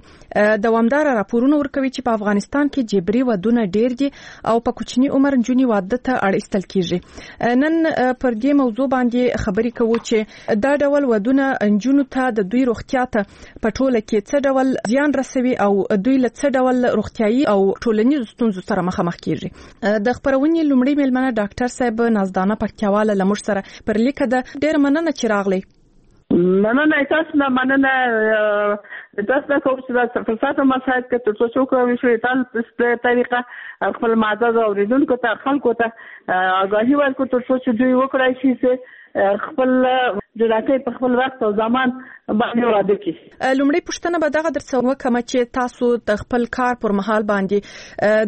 دوامداره راپورونه ورکوي چې په افغانستان کې جبري ودونه ډېر دي او په کوچني عمر نجونې واده ته اړ ایستل کیږي. نن پر دې موضوع باندې خبرې کوو چې دا ډول ودونه نجونو ته د دوی روغتیا ته په ټوله کې څه ډول زیان رسوي او دوی له څه ډول روغتیایي او ټولنیزو ستونزو سره مخامخ کیږي. د خپرونې لومړۍ میلمنه ډاکټر صاحب نازدانه پکتیاواله له موږ سره پر لیکه ده. ډېره مننه چې راغلی. مننه تاسو نه، مننه تاسو نه کوم چې دا فرصت مساعد کړ ترڅو چې وکولی شو تل طریقه خپل معزز اورېدونکو ته خلکو ته آګاهي ورکړو ترڅو چې دوی وکړای شي چې خپل جنکۍ په خپل وخت او زمان باندې واده کړي. لومړۍ پوښتنه به دغه درڅخه وکړم چې تاسو د خپل کار پر مهال باندې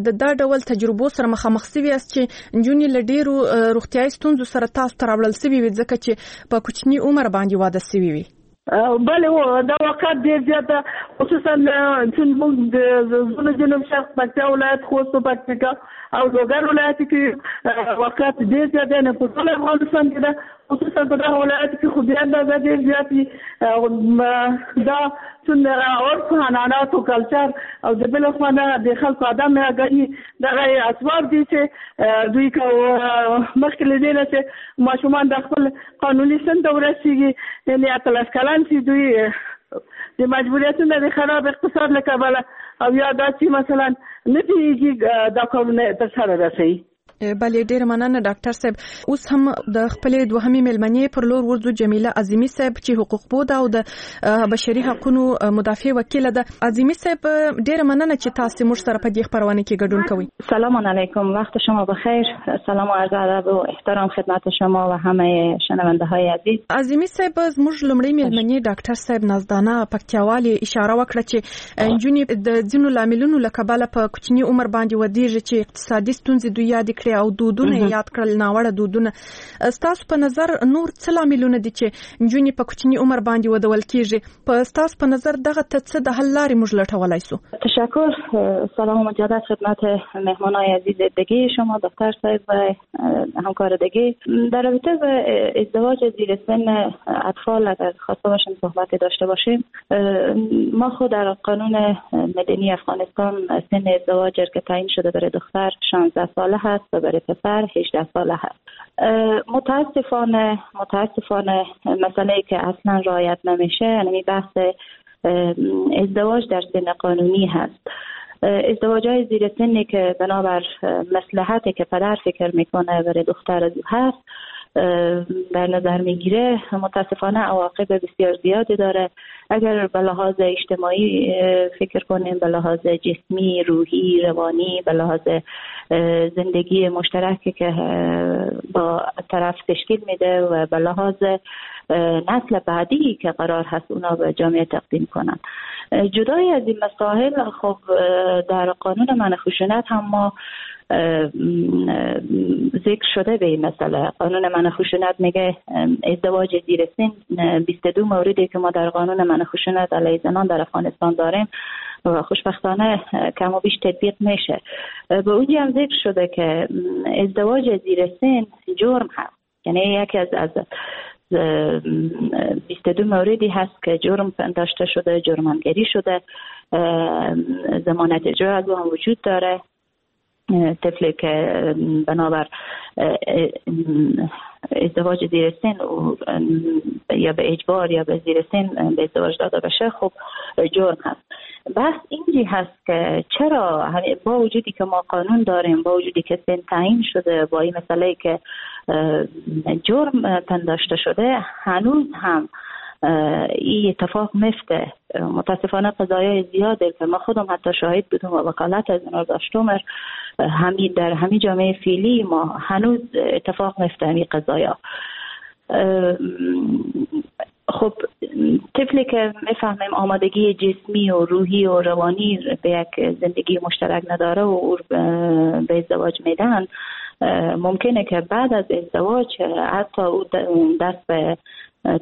د دا ډول تجربو سره مخامخ سوي یاست چې نجونې له ډېرو روغتیایي ستونزو سره تاسو ته راوړل سوي وي ځکه چې په کوچني عمر باندې واده سوي وي. بله، دا واقعیت ډېر زیات ده، خصوصا چې موږ د زون جنوب شرق پکتیا ولایت، خوست، پکتیکا او لوګر ولایت کې واقعیت ډېر زیات دی. نه په ټول افغانستان کې ده، خصوصا په دغه ولایت کې خو بیا اندازه ډېر زیات وي. دا څومره عرف، عنعنات او کلچر او د بل خوا نه د خلکو عدم آګاهي، دغه اسباب دي چې دوی که مخکې له دې نه چې ماشومان د خپل قانوني سن ته ورسېږي، یعنې اتلس کلن شي، دوی د مجبوریتونه د خراب اقتصاد له کبله او یا دا چې مثلا نه پوهېږي دا کارونه ترسره رسوي. بله، ډیره مننه ډاکټر صاحب. اوس هم د خپلې دوهمې میلمنې پر لور ورځو، جمیله عظیمي صاحب چې حقوقپوه ده او د بشري حقونو مدافع وکیله ده. عظیمي صاحب، ډیره مننه چې تاسو موږ سره په دې خپرونه کې ګډون کوئ. سلام علیکم، وقت شما بخیر. سلام و عرض ادب و احترام خدمت شما و همه شنونده های عزیز. عظیمي صاحب، زموږ لومړۍ میلمنې ډاکټر صاحب نازدانه پکتیاوالي اشاره وکړه چې نجونې د ځینو لاملونو له کبله په کوچني عمر باندې ودیږي چې اقتصادي ستونزې دوی یادې کړې او دودونه یاد کړل، ناوړه دودونه. ستاسو په نظر نور څه لاملونه دي چې نجونې په کوچني عمر باندې ودول کیږي؟ په ستاسو په نظر دغه ته څه د حل لارې موږ لټولای شو؟ تشکر. سلام و مجدد خدمت مهمانای عزیز دیگه شما، دکتر صاحب و همکار دیگه. در رابطه با ازدواج زیر سن اطفال اگر خواسته باشیم صحبت داشته باشیم، ما خود در قانون مدنی افغانستان سن ازدواج که تعیین شده برای دختر شانزده ساله هست و برای پسر هجده ساله هست. متاسفانه متاسفانه مسئله که اصلا رعایت نمیشه یعنی بحث ازدواج در سن قانونی هست. ازدواج های زیر سنی که بنابر مصلحتی که پدر فکر میکنه برای دختر از او هست در نظر میگیره، متاسفانه عواقب بسیار زیادی داره. اگر به لحاظ اجتماعی فکر کنیم، به لحاظ جسمی، روحی، روانی، به لحاظ زندگی مشترکی که با طرف تشکیل میده و به لحاظ نسل بعدی که قرار هست اونا به جامعه تقدیم کنن. جدای از این مسائل، خب در قانون منع خشونت هم ما ذکر شده به این مسئله. قانون منع خشونت میگه ازدواج زیر سن بیست و دو موردی که ما در قانون منع خشونت علیه زنان در افغانستان داریم و خوشبختانه کم و بیش تطبیق میشه. به اونجا هم ذکر شده که ازدواج زیر سن جرم هست، یعنی یکی از از بیست و دو موردی هست که جرم داشته شده، جرمانگری شده، ضمانت اجرا از او هم وجود داره. طفلی که بنابر ازدواج زیر سن یا به اجبار یا به زیر سن به ازدواج داده بشه، خب جرم هست. بس اینجی هست که چرا با وجودی که ما قانون داریم، با وجودی که سن تعیین شده، با این مسئله که جرم پنداشته شده، هنوز هم این اتفاق میفته. متاسفانه قضایای زیاده که ما خودم حتی شاهد بودم و وکالت از اونا داشتم، همین در همین جامعه فعلی ما هنوز اتفاق میفته همین قضایا. خب طفلی که میفهمیم آمادگی جسمی و روحی و روانی به یک زندگی مشترک نداره و او به ازدواج میدن، ممکنه که بعد از ازدواج حتی او دست به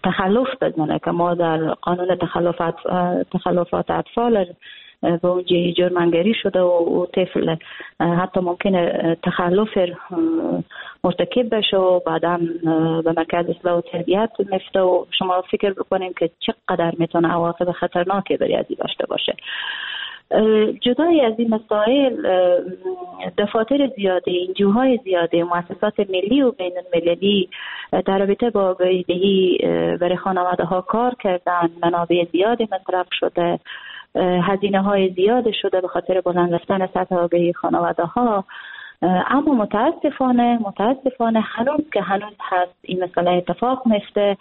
تخلف بزنه که ما در قانون تخلفات تخلفات اطفال به اونجا جرمانگری شده و او طفل حتی ممکنه تخلف مرتکب بشه و بعدا به مرکز اصلاح و تربیت میفته و شما فکر بکنیم که چقدر میتونه عواقب خطرناکی برای ازی داشته باشه. جدای از این مسائل، دفاتر زیاده، انجوهای زیاده، مؤسسات ملی و بین المللی در رابطه با آگاهی دهی برای خانواده ها کار کردن، منابع زیادی مصرف شده، هزینه های زیاد شده به خاطر بلند رفتن سطح آگاهی خانواده ها. اما متاسفانه متاسفانه هنوز که هنوز هست این مسئله اتفاق میفته.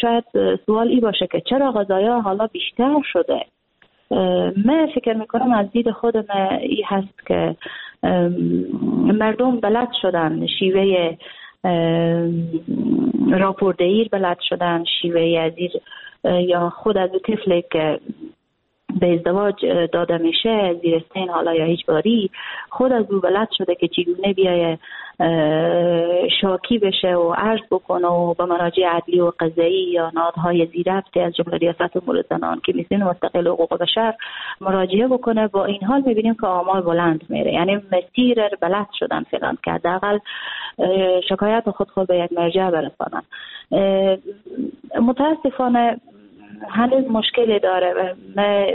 شاید سوال ای باشه که چرا قضایا حالا بیشتر شده. من فکر میکنم از دید خودم ای هست که مردم بلد شدن شیوه راپوردهی بلد شدن، شیوه از یا خود از طفلی که به ازدواج داده میشه زیر سن حالا یا اجباری، خود از او بلد شده که چگونه بیایه شاکی بشه و عرض بکنه و به مراجع عدلی و قضایی یا نهادهای ذیربط از جمله ریاست امور زنان، کمیسیون مستقل حقوق بشر مراجعه بکنه. با این حال میبینیم که آمار بلند میره، یعنی مسیر بلد شدن فعلا که حداقل شکایت خود خود به یک مرجع برسانن. متاسفانه هنوز مشکلی داره و من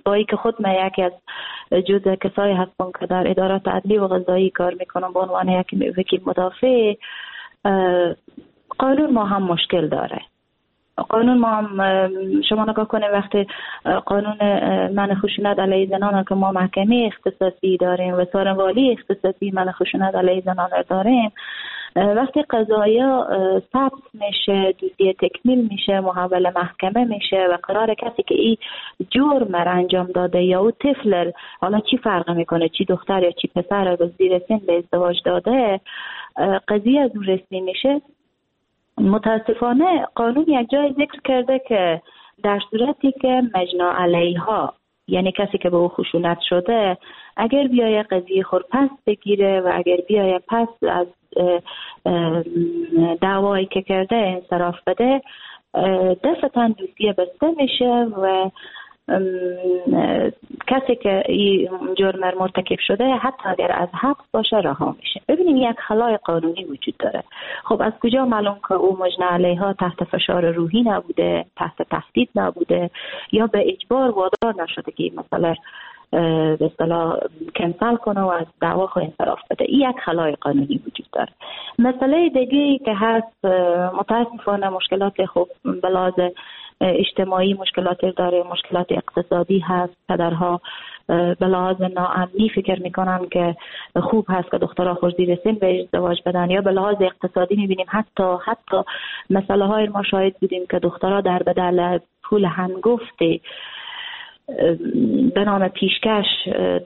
با اینکه خود من یکی از جزء کسایی هستم که در ادارات عدلی و قضایی کار میکنم به عنوان یک وکیل مدافع، قانون ما هم مشکل داره. قانون ما هم شما نگاه کنید وقتی قانون منع خشونت علیه زنان که ما محکمه اختصاصی داریم و سارنوالی اختصاصی منع خشونت علیه زنان داریم، وقتی قضایا ثبت میشه، دوسیه تکمیل میشه، محول محکمه میشه و قرار کسی که این جرم را انجام داده یا او طفل، حالا چی فرق میکنه چی دختر یا چی پسر رو زیر سن به ازدواج داده، قضیه از اون رسمی میشه. متاسفانه قانون یک جای ذکر کرده که در صورتی که مجنا علیها، یعنی کسی که به او خشونت شده، اگر بیای قضیه خود پس بگیره و اگر بیای پس از دعوایی که کرده انصراف بده، دفعتاً دوسیه بسته میشه و کسی که این جرم مرتکب شده حتی اگر از حبس باشه رها میشه. ببینیم یک خلای قانونی وجود داره. خب از کجا معلوم که او مجنی علیها تحت فشار روحی نبوده، تحت تهدید نبوده یا به اجبار وادار نشده که این مسئله به اصطلاح کنسل کنه و از دعوا خود انصراف بده. این یک خلای قانونی وجود داره. مسئله دیگه که هست متاسفانه مشکلات خب به لحاظ اجتماعی مشکلات داره، مشکلات اقتصادی هست. پدرها به لحاظ ناامنی فکر میکنن که خوب هست که دخترها خود زیر سن به ازدواج بدن، یا به لحاظ اقتصادی میبینیم حتی حتی مسئله های ما شاهد بودیم که دخترها در بدل پول هنگفت به نام پیشکش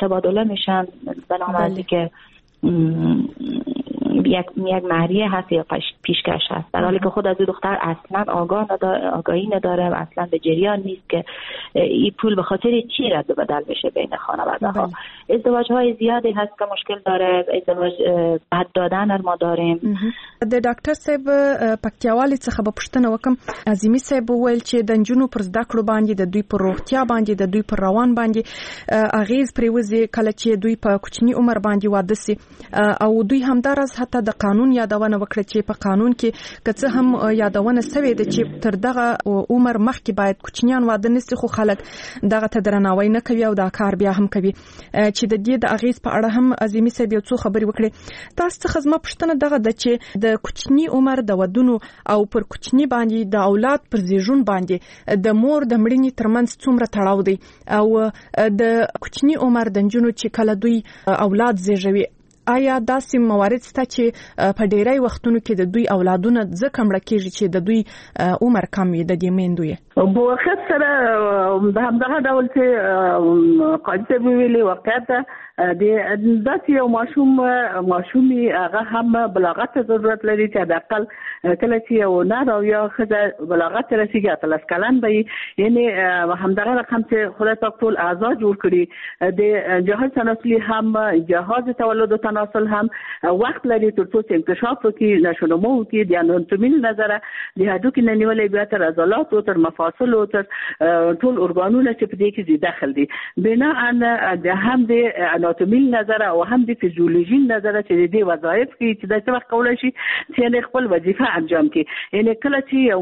تبادله میشن، به نام از که یک یک مهریه هست یا پیشکش هست، در حالی که خود از دختر اصلا آگاه نداره، آگاهی نداره و اصلا به جریان نیست که این پول به خاطر چی رد و بدل بشه بین خانواده ها. ازدواج های زیادی هست که مشکل داره، ازدواج بد دادن ما داریم. د ډاکټر صاحب پکتیاوالي څخه به پوښتنه وکم. عظیمي صاحب وویل چې د نجونو پر زده کړو باندې، د دوی پر روغتیا باندې، د دوی پر روان باندې اغیز پریوځي کله چې دوی په کوچني عمر باندې واده سي، او دوی همداراز حتی د قانون یادونه وکړه چې په قانون کې که څه هم یادونه سوې ده چې تر دغه عمر مخکې باید کوچنیان واده نسي، خو خلک دغه ته درناوی نه کوي او دا کار بیا هم کوي، چې د دې د اغیز په اړه هم عظیمي صاحب یو څو خبرې وکړې. تاسو څخه زما پوښتنه دغه ده چې د کوچني عمر د ودونو او پر کوچني باندې د اولاد پر زیږون باندې د مور د مړینې ترمنځ څومره تړاو دی، او د کوچني عمر د نجونو چې کله دوی اولاد زیږوي، آیا داسې موارد شته چې په ډیری وختونو کې د دوی اولادونه ځکه مړه کیږي چې د دوی عمر کم وي د دې میندو یې؟ په واقعیت سره د همدغه ډول چې قاضي صاحب ویلي، واقعیت د داسې یو ماشوم ماشومي هغه هم بلاغت ته ضرورت لري چې حداقل کله چې یو نر او یا ښځه بلاغت ته رسېږي اتلس کلن به وي، یعنې همدغه رقم چې خدای پاک ټول اعضا جوړ کړي، د جهاز تناسلي هم جهاز تولد و تناسل هم وخت لري تر څو چې انکشاف وکړي، نشونما وکړي، د اناتومي له نظره د هډوکي نه نیولې بیا تر عضلاتو تر مفاصلو تر ټول ارګانونه چې په دې کې ذي دخل دي، بناء د هم د اناتومي له نظره او هم د فزیولوژي له نظره چې د دې وظایف کې چې دا څه وخت کولای شي چې یعنې خپل وظیفه انجام کړي. یعنې کله چې یو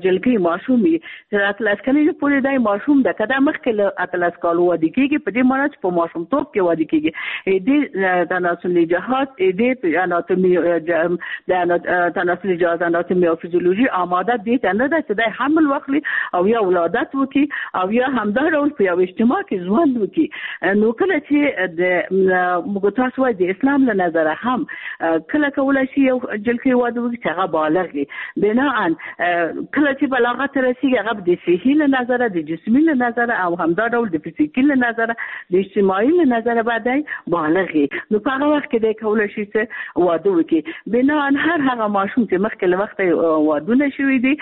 جلکۍ ماشوم وي تر اتلس کلنۍ پورې دی ماشوم ده، که دا مخکې له اتلس کالو واده کېږي په دې معنی چې په ماشومتوب کې واده کېږي، دې تناسلي جهاز دې اناتومي د تناسلي جهاز اناتومي او فزیولوژي آماده دې ته نه ده چې دی حمل واخلي او یا ولادت وکړي او یا همدا ډول په یو اجتماع کې ژوند وکړي. نو کله چې چې د موږ تاسو وایي د اسلام له نظره هم کله کولای شي یو جلکې واده وکړي چې هغه بالغ وي. بناءً کله چې بلاغت ته رسیږي هغه د صحي له نظره، د جسمي له نظره او همدا ډول د فزیکي له نظره، د اجتماعي له نظره به دی بالغ وي. نو په هغه وخت کې دی کولای شي چې واده وکړي. بناءً هر هغه ماشوم چې مخکې له وخته وادونه شوي دي،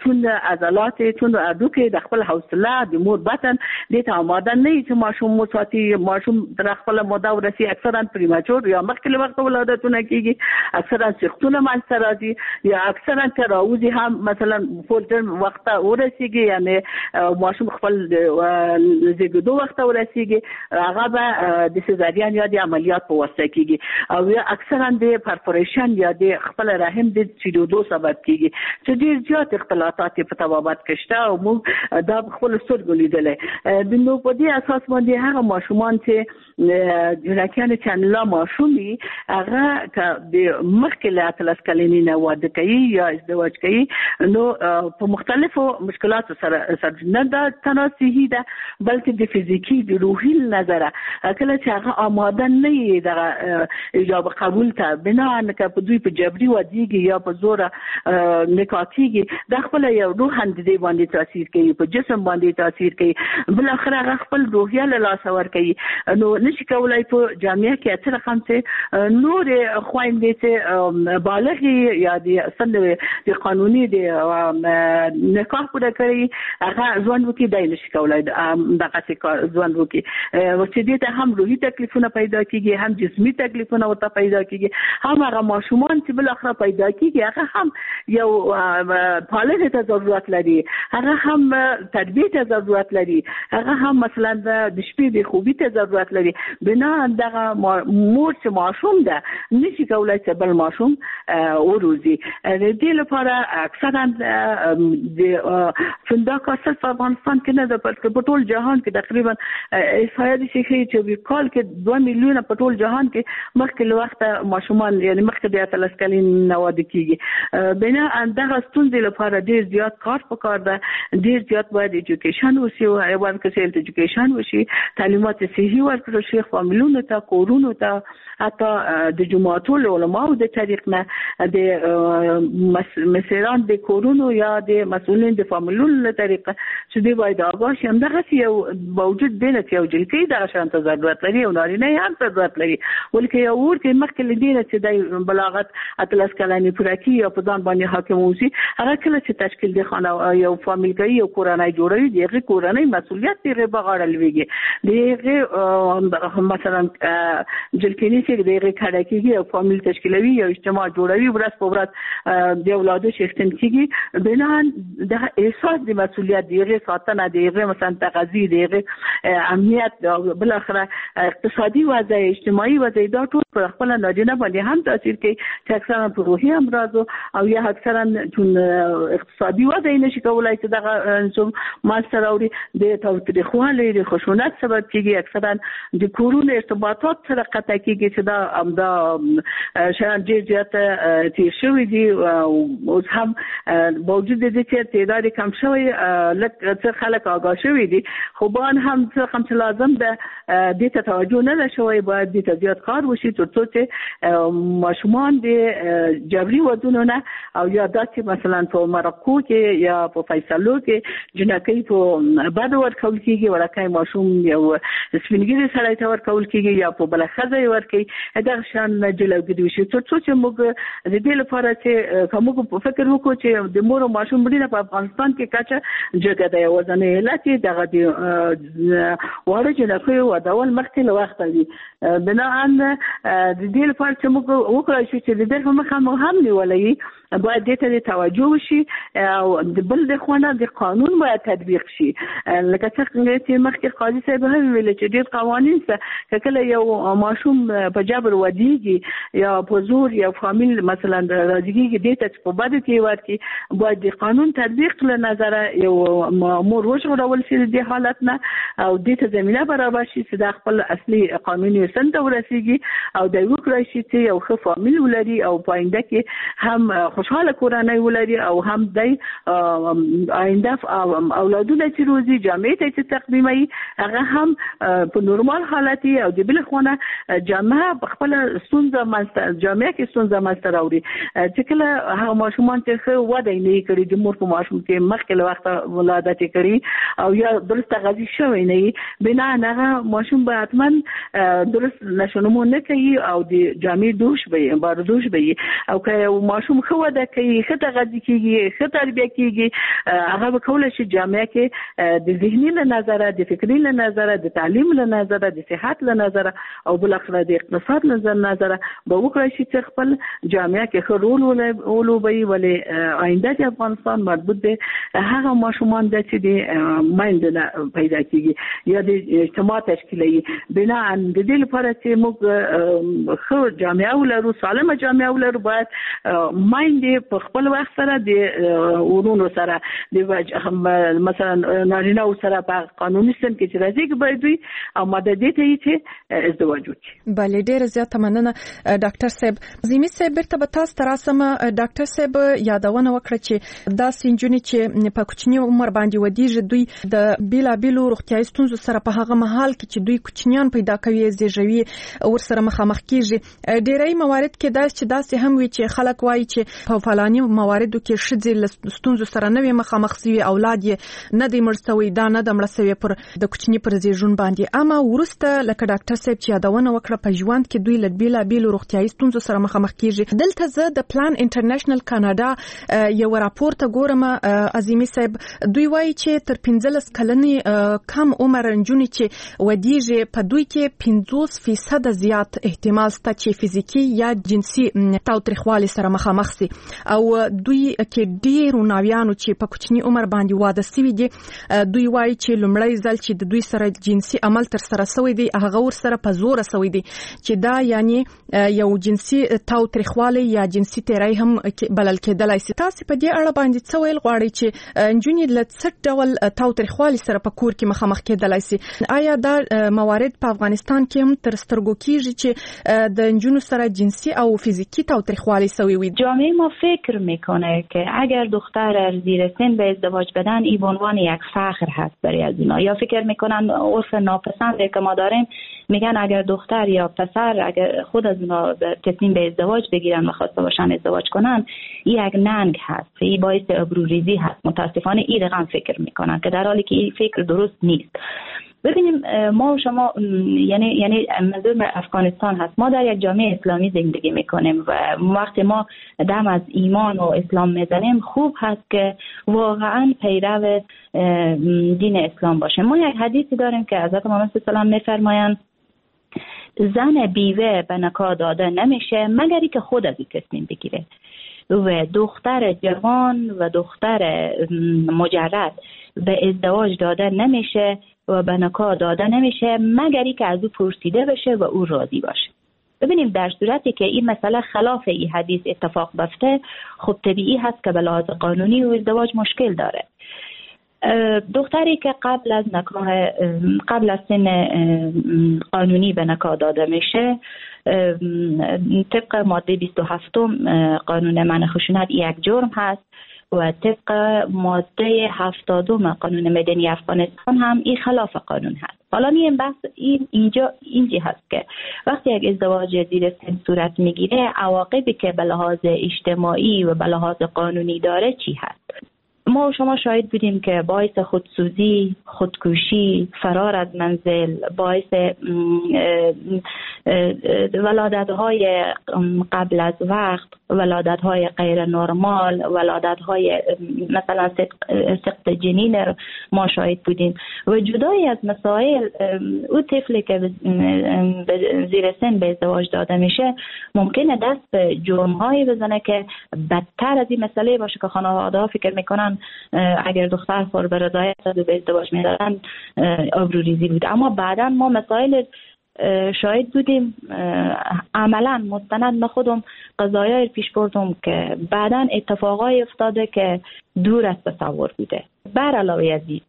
چون عضلات چون هډوکي د خپل حوصله د مور بطن دې ته آماده نه وي چې ماشوم وساتي، ماشوم تر خپله موده ورسي. اکثرا premature یا مخکې له وخته ولادتونه کېږي، اکثرا سختونه منځته راځي، یا اکثرا که راوځي هم مثلا full term وخته ورسیږي، یعنی ماشوم خپل زیږېدو وخته ورسیږي، هغه به د سزارین یا د عملیات په واسطه کېږي، او یا اکثرا د perforation یا د خپل رحم د چیرېدو سبب کېږي چې ډېر زیات اختلاطات په طبابت کې شته او موږ دا په خپلو سترګو لیدلی. نو په دې اساس باندې هغه ماشومان چې جنکیان چې لا ماشوم وي، هغه که د مخکې له اتلس کلنۍ نه واده کوي یا ازدواج کوي، نو په مختلفو مشکلاتو سره سره نه دا تنها صحي ده بلکې د فزیکي د روحي نظره کله چې هغه آماده نه وي دغه ایجاب قبول ته، بناءً که په دوی په جبري ودیږي یا په زوره نکاح کېږي، دا خپله یو روحاً د دې باندې تاثیر کوي، په جسم باندې تاثیر کوي، بالاخره هغه خپل روحیه له لاسه ورکوي. نو نشي کولای په جامعه کې څه رقم چې نورې خویندې چې بالغې یا د سن د قانوني د نکاح پوره کړي هغه ژوند وکړي، دی نشي کولای دغسې ژوند وکړي، چې دې ته هم روحي تکلیفونه پیدا کېږي، هم جسمي تکلیفونه ورته پیدا کېږي، هم هغه ماشومان چې بالاخره پیدا کېږي هغه هم یو پالنې ته ضرورت لري، هغه هم تربیې ته ضرورت لري، هغه هم مثلا د شپې د خوبي ته ضرورت لري. بناءً دغه مور چې ماشوم ده نشي کولای چې بل ماشوم وروزي. د دې لپاره اکثرا د دا کار صرف په افغانستان کې نه ده بلکې په ټول جهان کې تقریبا احصایه داسې ښيي چې په کال کې دوه میلیونه په ټول جهان کې مخکې له وخته ماشومان یعنی مخکې د اتلس کلنۍ نه واده کېږي. بناءً دغه ستونزې لپاره ډېر زیات کار پکار ده، ډېر زیات باید education وشي، ورکړل health education وشي، تعلیمات صحي ورکړل شي فامیلونو ته، کورونو ته، حتی د جوماتو له علماو د طریق نه، د مسیران د کورونو یا د مسؤلین د فامیلونو له طریقه چې دوی باید آګاه شي. همدغسې یو باوجود دې نه چې یو جلکۍ دغه شان ته ضرورت لري او نارینه یې هم ضرورت لري، ولکه یو ور کې مخکې له دې نه چې دی بلاغت اتلس کلنې پوره کړي یا په ځان باندې حاکم اوسي، هغه کله چې تشکیل د خانه یو فامیل کوي، یو کورنۍ جوړوي، د هغې کورنۍ مسؤلیت د هغې په غاړه لوېږي، د هغې مثلا جلکینی چې د هغې کډه کېږي، یو فامیل تشکیلوي، یو اجتماع جوړوي، ورځ په ورځ د اولادو څښتن کېږي. بناءً دغه احساس د مسؤلیت، د هغې ساتنه، د هغې مثلا تغذیه، د هغې امنیت، بالاخره اقتصادي وضع، اجتماعي وضع، دا ټول پر خپل نارینه باندې هم تاثیر کوي چې اکثرا په روحي امراضو او یا اکثرا چون اقتصادي وضع یې نشي کولای چې دغه منځته راوړي، د تاوتریخوالي د خشونت سبب کېږي، اکثرا د کورونو ارتباطات سره قطع کېږي چې دا همدا شیان ډېر زیات تېر شوي دي. اوس هم باوجود د دې چې تعداد کم شوی، لږ څه خلک آګاه شوي دي، خو باید هم څه رقم چې لازم ده دې ته توجه نه ده شوی، باید دې ته زیات کار وشي تر څو چې ماشومان د جبري ودونو نه او یا داسې مثلا په مرکو کې یا په فیصلو کې جنکۍ په بدو ورکول کېږي، وړکی ماشوم یو سپین ږیري سړی ته ورکول کېږي یا په بله ښځه یې ورکوي، دغه شان جلوګیري وشي. تر څو چې موږ د دې لپاره چې که موږ فکر وکړو چې د مور او ماشوم مړینه په افغانستان کې کچه جګه ده، یوازنی علت یې دغه د واړه جنکیو ودول مخکې له وخته وي. بناءً د دې لپاره چې موږ وکړای شو چې د دغه مخه مو هم نیولی، باید دې ته توجه وشي او د بل د خوا نه د قانون باید تطبیق شي. لکه څنګه چې مخکې قاضي صاحب هم ویل چې ډېر قوانین شته، که کله یو ماشوم په جبر ودیږي یا په زور یو فامیل مثلا راضي کېږي دې ته چې په بدو کې ورکړي، باید د قانون تطبیق له نظره یو مور وژغورول شي د دې حالت نه او دې ته زمینه برابر شي چې دا خپل اصلي قانوني سن ته ورسیږي او دی وکړای شي چې یو ښه فامیل ولري او په آینده کې هم خوشحاله کورنۍ ولري او هم دی آینده اولادونه چې روزي جامعې ته چې تقدیموي هغه هم په نورمال حالت او د بل خونه جامعه خپل ستونزه منځته جامعه کې ستونزه منځته راوړي چې کله هغه ماشومان چې ښه وده یې نه کړي د مور په ماشوم کې مخکې له وخته ولادت یې کړي او یا درست تغذیه شوی نه وي، بنا هغه ماشوم به حتما درست نشونمو نه کوي او د جامع دوش به یې بار دوش به یې. او که یو ماشوم ښه وده کوي، ښه تغذیه کیږي، ښه تربیه کیږي، هغه به کولی شي جامعه کې د ذهني له نظره، د فکري له نظره، د تعلیم له نظره، د صحت له نظره او بالاخره د اقتصاد له نظره به وکړای شي چې خپل جامعه کې ښه رول ولوبوي. ولې آینده د افغانستان مربوط دی هغه ماشومان ده چې د میندو نه پیدا کیږي یا د اجتماع تشکیلوي. بناً د دې لپاره چې موږ ښه جامعه ولرو، سالمه جامعه ولرو، باید میندې په خپل وخت سره د ورونو سره د مثلا نارینه سره په قانوني سن کې چې راځي باید دوی آماده دي ته چې ازدواج وکړي. بله، ډیره زیاته مننه ډاکټر صاحب. عظیمي صاحب بیرته به تاسو ته راسم. ډاکټر صاحب یادونه وکړه چې داسې نجونې چې په کوچني عمر باندې ودیږي دوی د بیلابیلو روغتیایي ستونزو سره په هغه مهال کې چې دوی کوچنیان پیدا کوي زیږوي ورسره مخامخ کیږي. ډیری موارد کې داسې چې داسې هم وي چې خلک وایي چې په فلاني مواردو کې ښځې له ستونزو سره نه وي مخامخ سوي، اولاد یې نه دی مړ سوی، دا نه ده مړه سوې پر د کوچني پر زیږون باندې. اما وروسته لکه ډاکټر صاحب چې یادونه وکړه په ژوند کې دوی له بیلابیلو روغتیایي ستونزو سره مخامخ کیږي. دلته زه د پلان انټرنیشنل کاناډا یو راپور ته ګورم عظیمي صاحب، دوی وایي چې تر پنځلس کلنې کم عمر نجونې چې ودیږي په دوی کې پنځوس فیصده زیات احتمال شته چې فزیکي یا جنسي تاوتریخوالي سره مخامخ سي، او دوی کې ډیرو ناویانو چې په کوچني عمر باندې واده سوي دي دوی وایي چې لومړی ځل چې د دوی سره جنسي عمل تر سره سوی دی هغه ورسره په زوره سوی دی، چې دا یعنی یو جنسي تاوتریخوالی یا جنسي تیری هم بلل کېدلای سي. تاسو په دې اړه باندې څه ویل غواړئ چې نجونې له څه ډول تاوتریخوالي سره په کور کې مخامخ کېدلای سي؟ آیا دا موارد په افغانستان کې هم تر سترګو کیږي چې د نجونو سره جنسي او فزیکي تاوتریخوالی سوی وي؟ جامعه ما فکر میکنه که اگر دختر زیر سن به ازدواج بدن ای به عنوان یک فخر هست برای از اینا، یا فکر میکنن عرف ناپسنده که ما داریم، میگن اگر دختر یا پسر اگر خود از اونا تصمیم به ازدواج بگیرن و خواسته باشن ازدواج کنن این یک ننگ هست، این باعث آبروریزی هست. متاسفانه این رقم فکر میکنن که در حالی که این فکر درست نیست. ببینیم ما و شما، یعنی یعنی منظور افغانستان هست، ما در یک جامعه اسلامی زندگی میکنیم و وقتی ما دم از ایمان و اسلام میزنیم خوب هست که واقعا پیرو دین اسلام باشه. ما یک حدیثی داریم که حضرت محمد صلی الله علیه و سلم میفرمایند زن بیوه به نکاح داده نمیشه مگر اینکه خود از این تصمیم بگیره، و دختر جوان و دختر مجرد به ازدواج داده نمیشه و به نکاح داده نمیشه مگر اینکه از او پرسیده بشه و او راضی باشه. ببینیم در صورتی که این مسئله خلاف این حدیث اتفاق بیفته خب طبیعی هست که به لحاظ قانونی و ازدواج مشکل داره. دختری که قبل از نکاح قبل از سن قانونی به نکاح داده میشه طبق ماده بیست و هفت قانون منع خشونت یک جرم هست و طبق ماده هفتاد قانون مدنی افغانستان هم این خلاف قانون هست. حالا این بحث این اینجا اینجا هست که وقتی یک ازدواج زیر سن صورت میگیره عواقبی که به لحاظ اجتماعی و به لحاظ قانونی داره چی هست. ما و شما شاهد بودیم که باعث خودسوزی، خودکشی، فرار از منزل، باعث ولادت‌های قبل از وقت، ولادت‌های غیر نرمال، ولادت‌های مثلا سقط جنین ما شاهد بودیم و جدای از مسائل او طفلی که زیر سن به ازدواج داده میشه ممکنه دست به جرم‌هایی بزنه که بدتر از این مسئله باشه که خانواده‌ها فکر میکنن اگر دختر خور به رضایت و به ازدواج میدادن آبروریزی بود. اما بعدا ما مسائل شاهد بودیم، عملا مستند ما خودم قضایای پیش بردم که بعدا اتفاقای افتاده که دور از تصور بوده. بر علاوه از این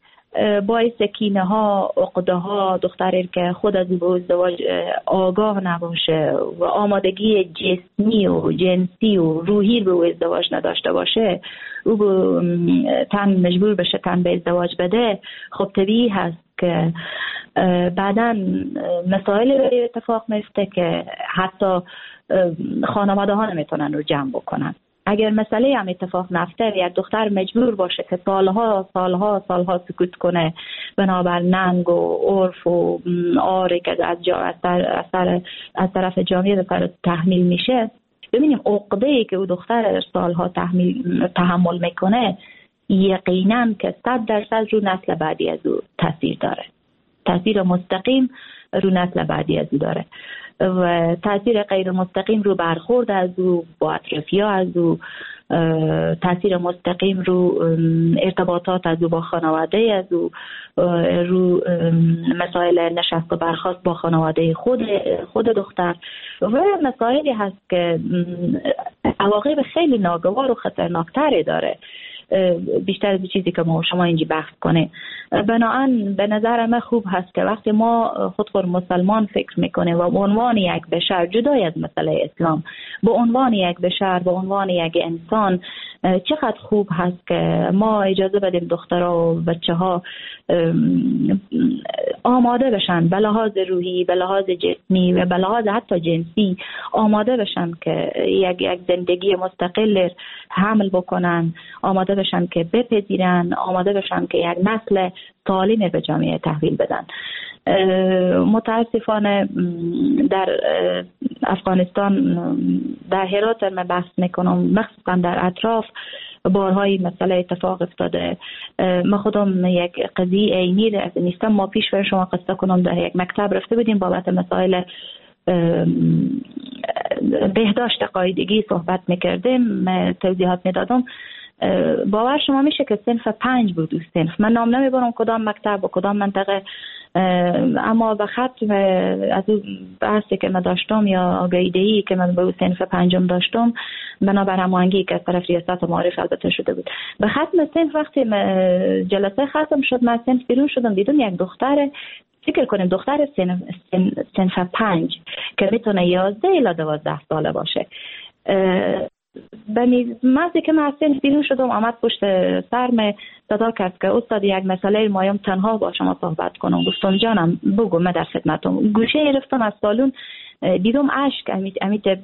باعث کینه ها، عقده ها، دختری که خود از او ازدواج آگاه نباشه و آمادگی جسمی و جنسی و روحی به او ازدواج نداشته باشه، او تن مجبور بشه تن به ازدواج بده، خب طبیعی هست که بعداً مسائل برای اتفاق میفته که حتی خانواده ها نمیتونن رو جمع بکنن. اگر مسئله هم اتفاق نفته، یک دختر مجبور باشه که سالها سالها سالها سکوت کنه بنابر ننگ و عرف و آره که از جا از, طر... از طرف جامعه به تحمیل میشه، ببینیم عقده‌ای که او دختر سالها تحمیل تحمل میکنه یقینا که صد درصد رو نسل بعدی از او تاثیر داره، تاثیر مستقیم رو نسل بعدی از او داره و تاثیر غیر مستقیم رو برخورد از او با اطرافیا از او، تاثیر مستقیم رو ارتباطات از او با خانواده از او، رو مسائل نشست و برخاست با خانواده خود خود دختر و مسائلی هست که عواقب خیلی ناگوار و خطرناکتری داره، بیشتر از چیزی که ما شما اینجا بحث کنه. بناهن به نظر من خوب هست که وقتی ما خود خود مسلمان فکر میکنه و به عنوان یک بشر جدای از مسئله اسلام، به عنوان یک بشر، به عنوان یک انسان، چقدر خوب هست که ما اجازه بدیم دخترها و بچه ها آماده بشن به لحاظ روحی، به لحاظ جسمی و به لحاظ حتی جنسی آماده بشن که یک یک زندگی مستقل حمل بکنن، آماده بشن که بپذیرن، آماده بشن که یک نسل سالم به جامعه تحویل بدن. متاسفانه در افغانستان، در هرات من بحث میکنم، مخصوصا در اطراف، بارهای مسئله اتفاق افتاده. ما خودم یک قضیه عینی نیستم، ما پیش بر شما قصه کنم، در یک مکتب رفته بودیم بابت مسائل بهداشت قاعدگی صحبت میکردیم، توضیحات میدادم. باور شما میشه که صنف پنج بود او صنف، من نام نمیبرم کدام مکتب و کدام منطقه، اما به ختم از اون بحثی که من داشتم یا آگاهی که من به او صنف پنجم داشتم، بنابر هماهنگی که از طرف ریاست معارف البته شده بود، به ختم صنف وقتی جلسه ختم شد من صنف بیرون شدم، دیدم یک دختر، فکر کنیم دختر صنف صنف پنج که میتونه یازده الی دوازده ساله باشه، به مزه که من از صنف بیرون شدم آمد پشت سرم صدا کرد که استاد یک مسئله مایم تنها با شما صحبت کنم. گفتم جانم بگو، من در خدمتم. گوشه گرفتم از سالون، دیدم اشک امیت امیت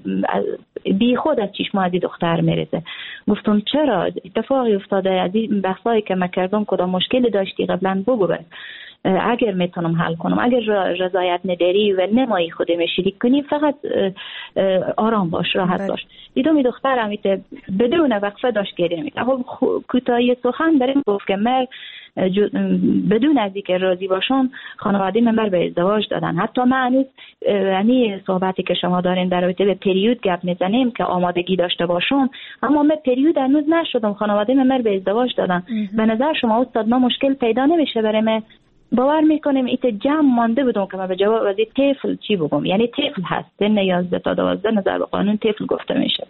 بی خود از چشم از دختر میرزه. گفتم چرا اتفاقی افتاده؟ از این بحثایی که من کردم کدام مشکلی داشتی قبلا بگو، بس اگر میتونم حل کنم، اگر رضایت نداری و نمایی خودم شریک کنی فقط آرام باش، راحت باش. دیدم این دختر امیت بدون وقفه داشت گریه میکرد. خب کوتاهی سخن بریم گفت که من بدون از اینکه راضی باشم خانواده من بر به ازدواج دادن. حتی من هنوز یعنی صحبتی که شما دارین در رابطه به پریود گپ میزنیم که آمادگی داشته باشم، اما من پریود هنوز نشدم، خانواده من بر به ازدواج دادن. به نظر شما استاد ما مشکل پیدا نمیشه برای من؟ باور میکنیم ایت جمع مانده بودم که من به جواب از طفل چی بگم، یعنی طفل هست سن یازده تا دوازده نظر به قانون طفل گفته میشه.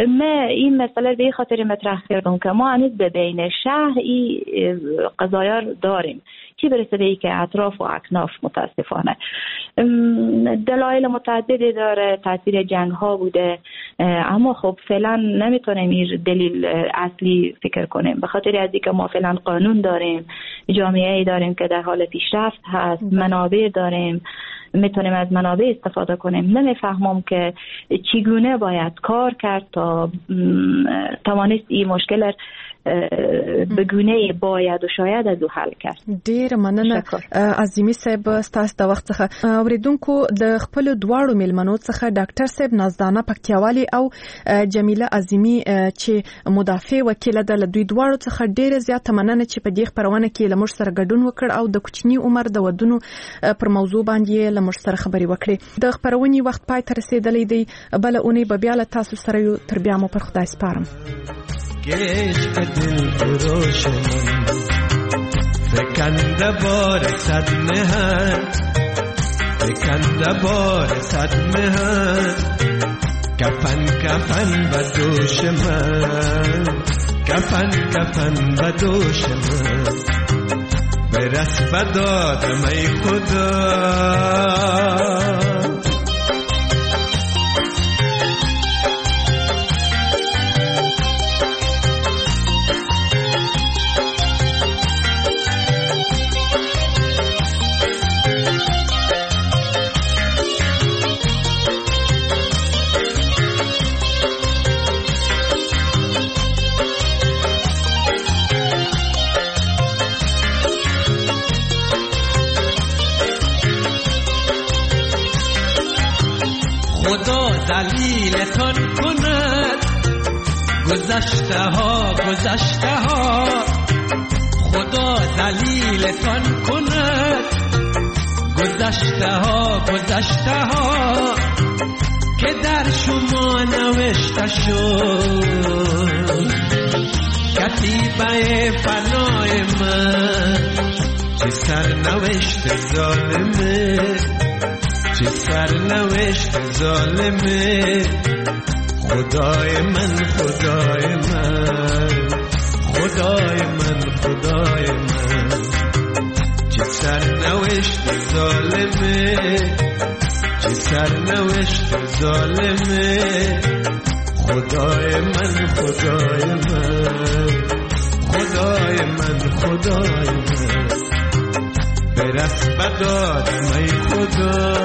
من این مسئله به خاطر مطرح کردم که ما هنوز به بین شهر این قضایا داریم، چی برسه به ای که اطراف و اکناف. متاسفانه دلایل متعددی داره، تاثیر جنگ ها بوده، اما خب فعلا نمیتونیم این دلیل اصلی فکر کنیم، به خاطر از اینکه ما فعلا قانون داریم، جامعه ای داریم که در حال پیشرفت هست، منابع داریم، میتونیم از منابع استفاده کنیم. نمیفهمم که چگونه باید کار کرد تا توانست این مشکل به گونه باید و شاید از او حل کرد. ډیر مننه عظیمی صاحب ستاسو د وخت څخه. اوریدونکو د خپل دواړو میلمنو څخه ډاکټر صاحب نازدانه پکتیاوالي او جمیله عظیمی چې مدافع وکیله ده، له دوی دواړو څخه ډیره زیاته مننه چې په دې خپرونه کې له موږ سره ګډون وکړ او د کوچني عمر د ودونو پر موضوع باندې له موږ سره خبرې وکړې. د خپرونې وخت پای ته رسیدلی دی، بله اونۍ به بیا له تاسو سره یو. تر بیا مو پر خدای سپارم. عشق دل فروش من فکنده بار صد مهن، فکنده بار صد مهن، کفن کفن به دوش من، کفن کفن به دوش من، برس به دادم ای خدا. خدا ذلیلتان کند. گذشته ها گذشته ها، خدا ذلیلتان کند. گذشته ها گذشته ها، که در شما نوشته شد کتیبه فنای من. چه سرنوشت ظالمه، چه سرنوشت ظالمه، خدای من خدای من، خدای من خدای من. چه سرنوشت ظالمه، چه سرنوشت ظالمه، خدای من خدای من، خدای من خدای من. برس بدادم ای خدا،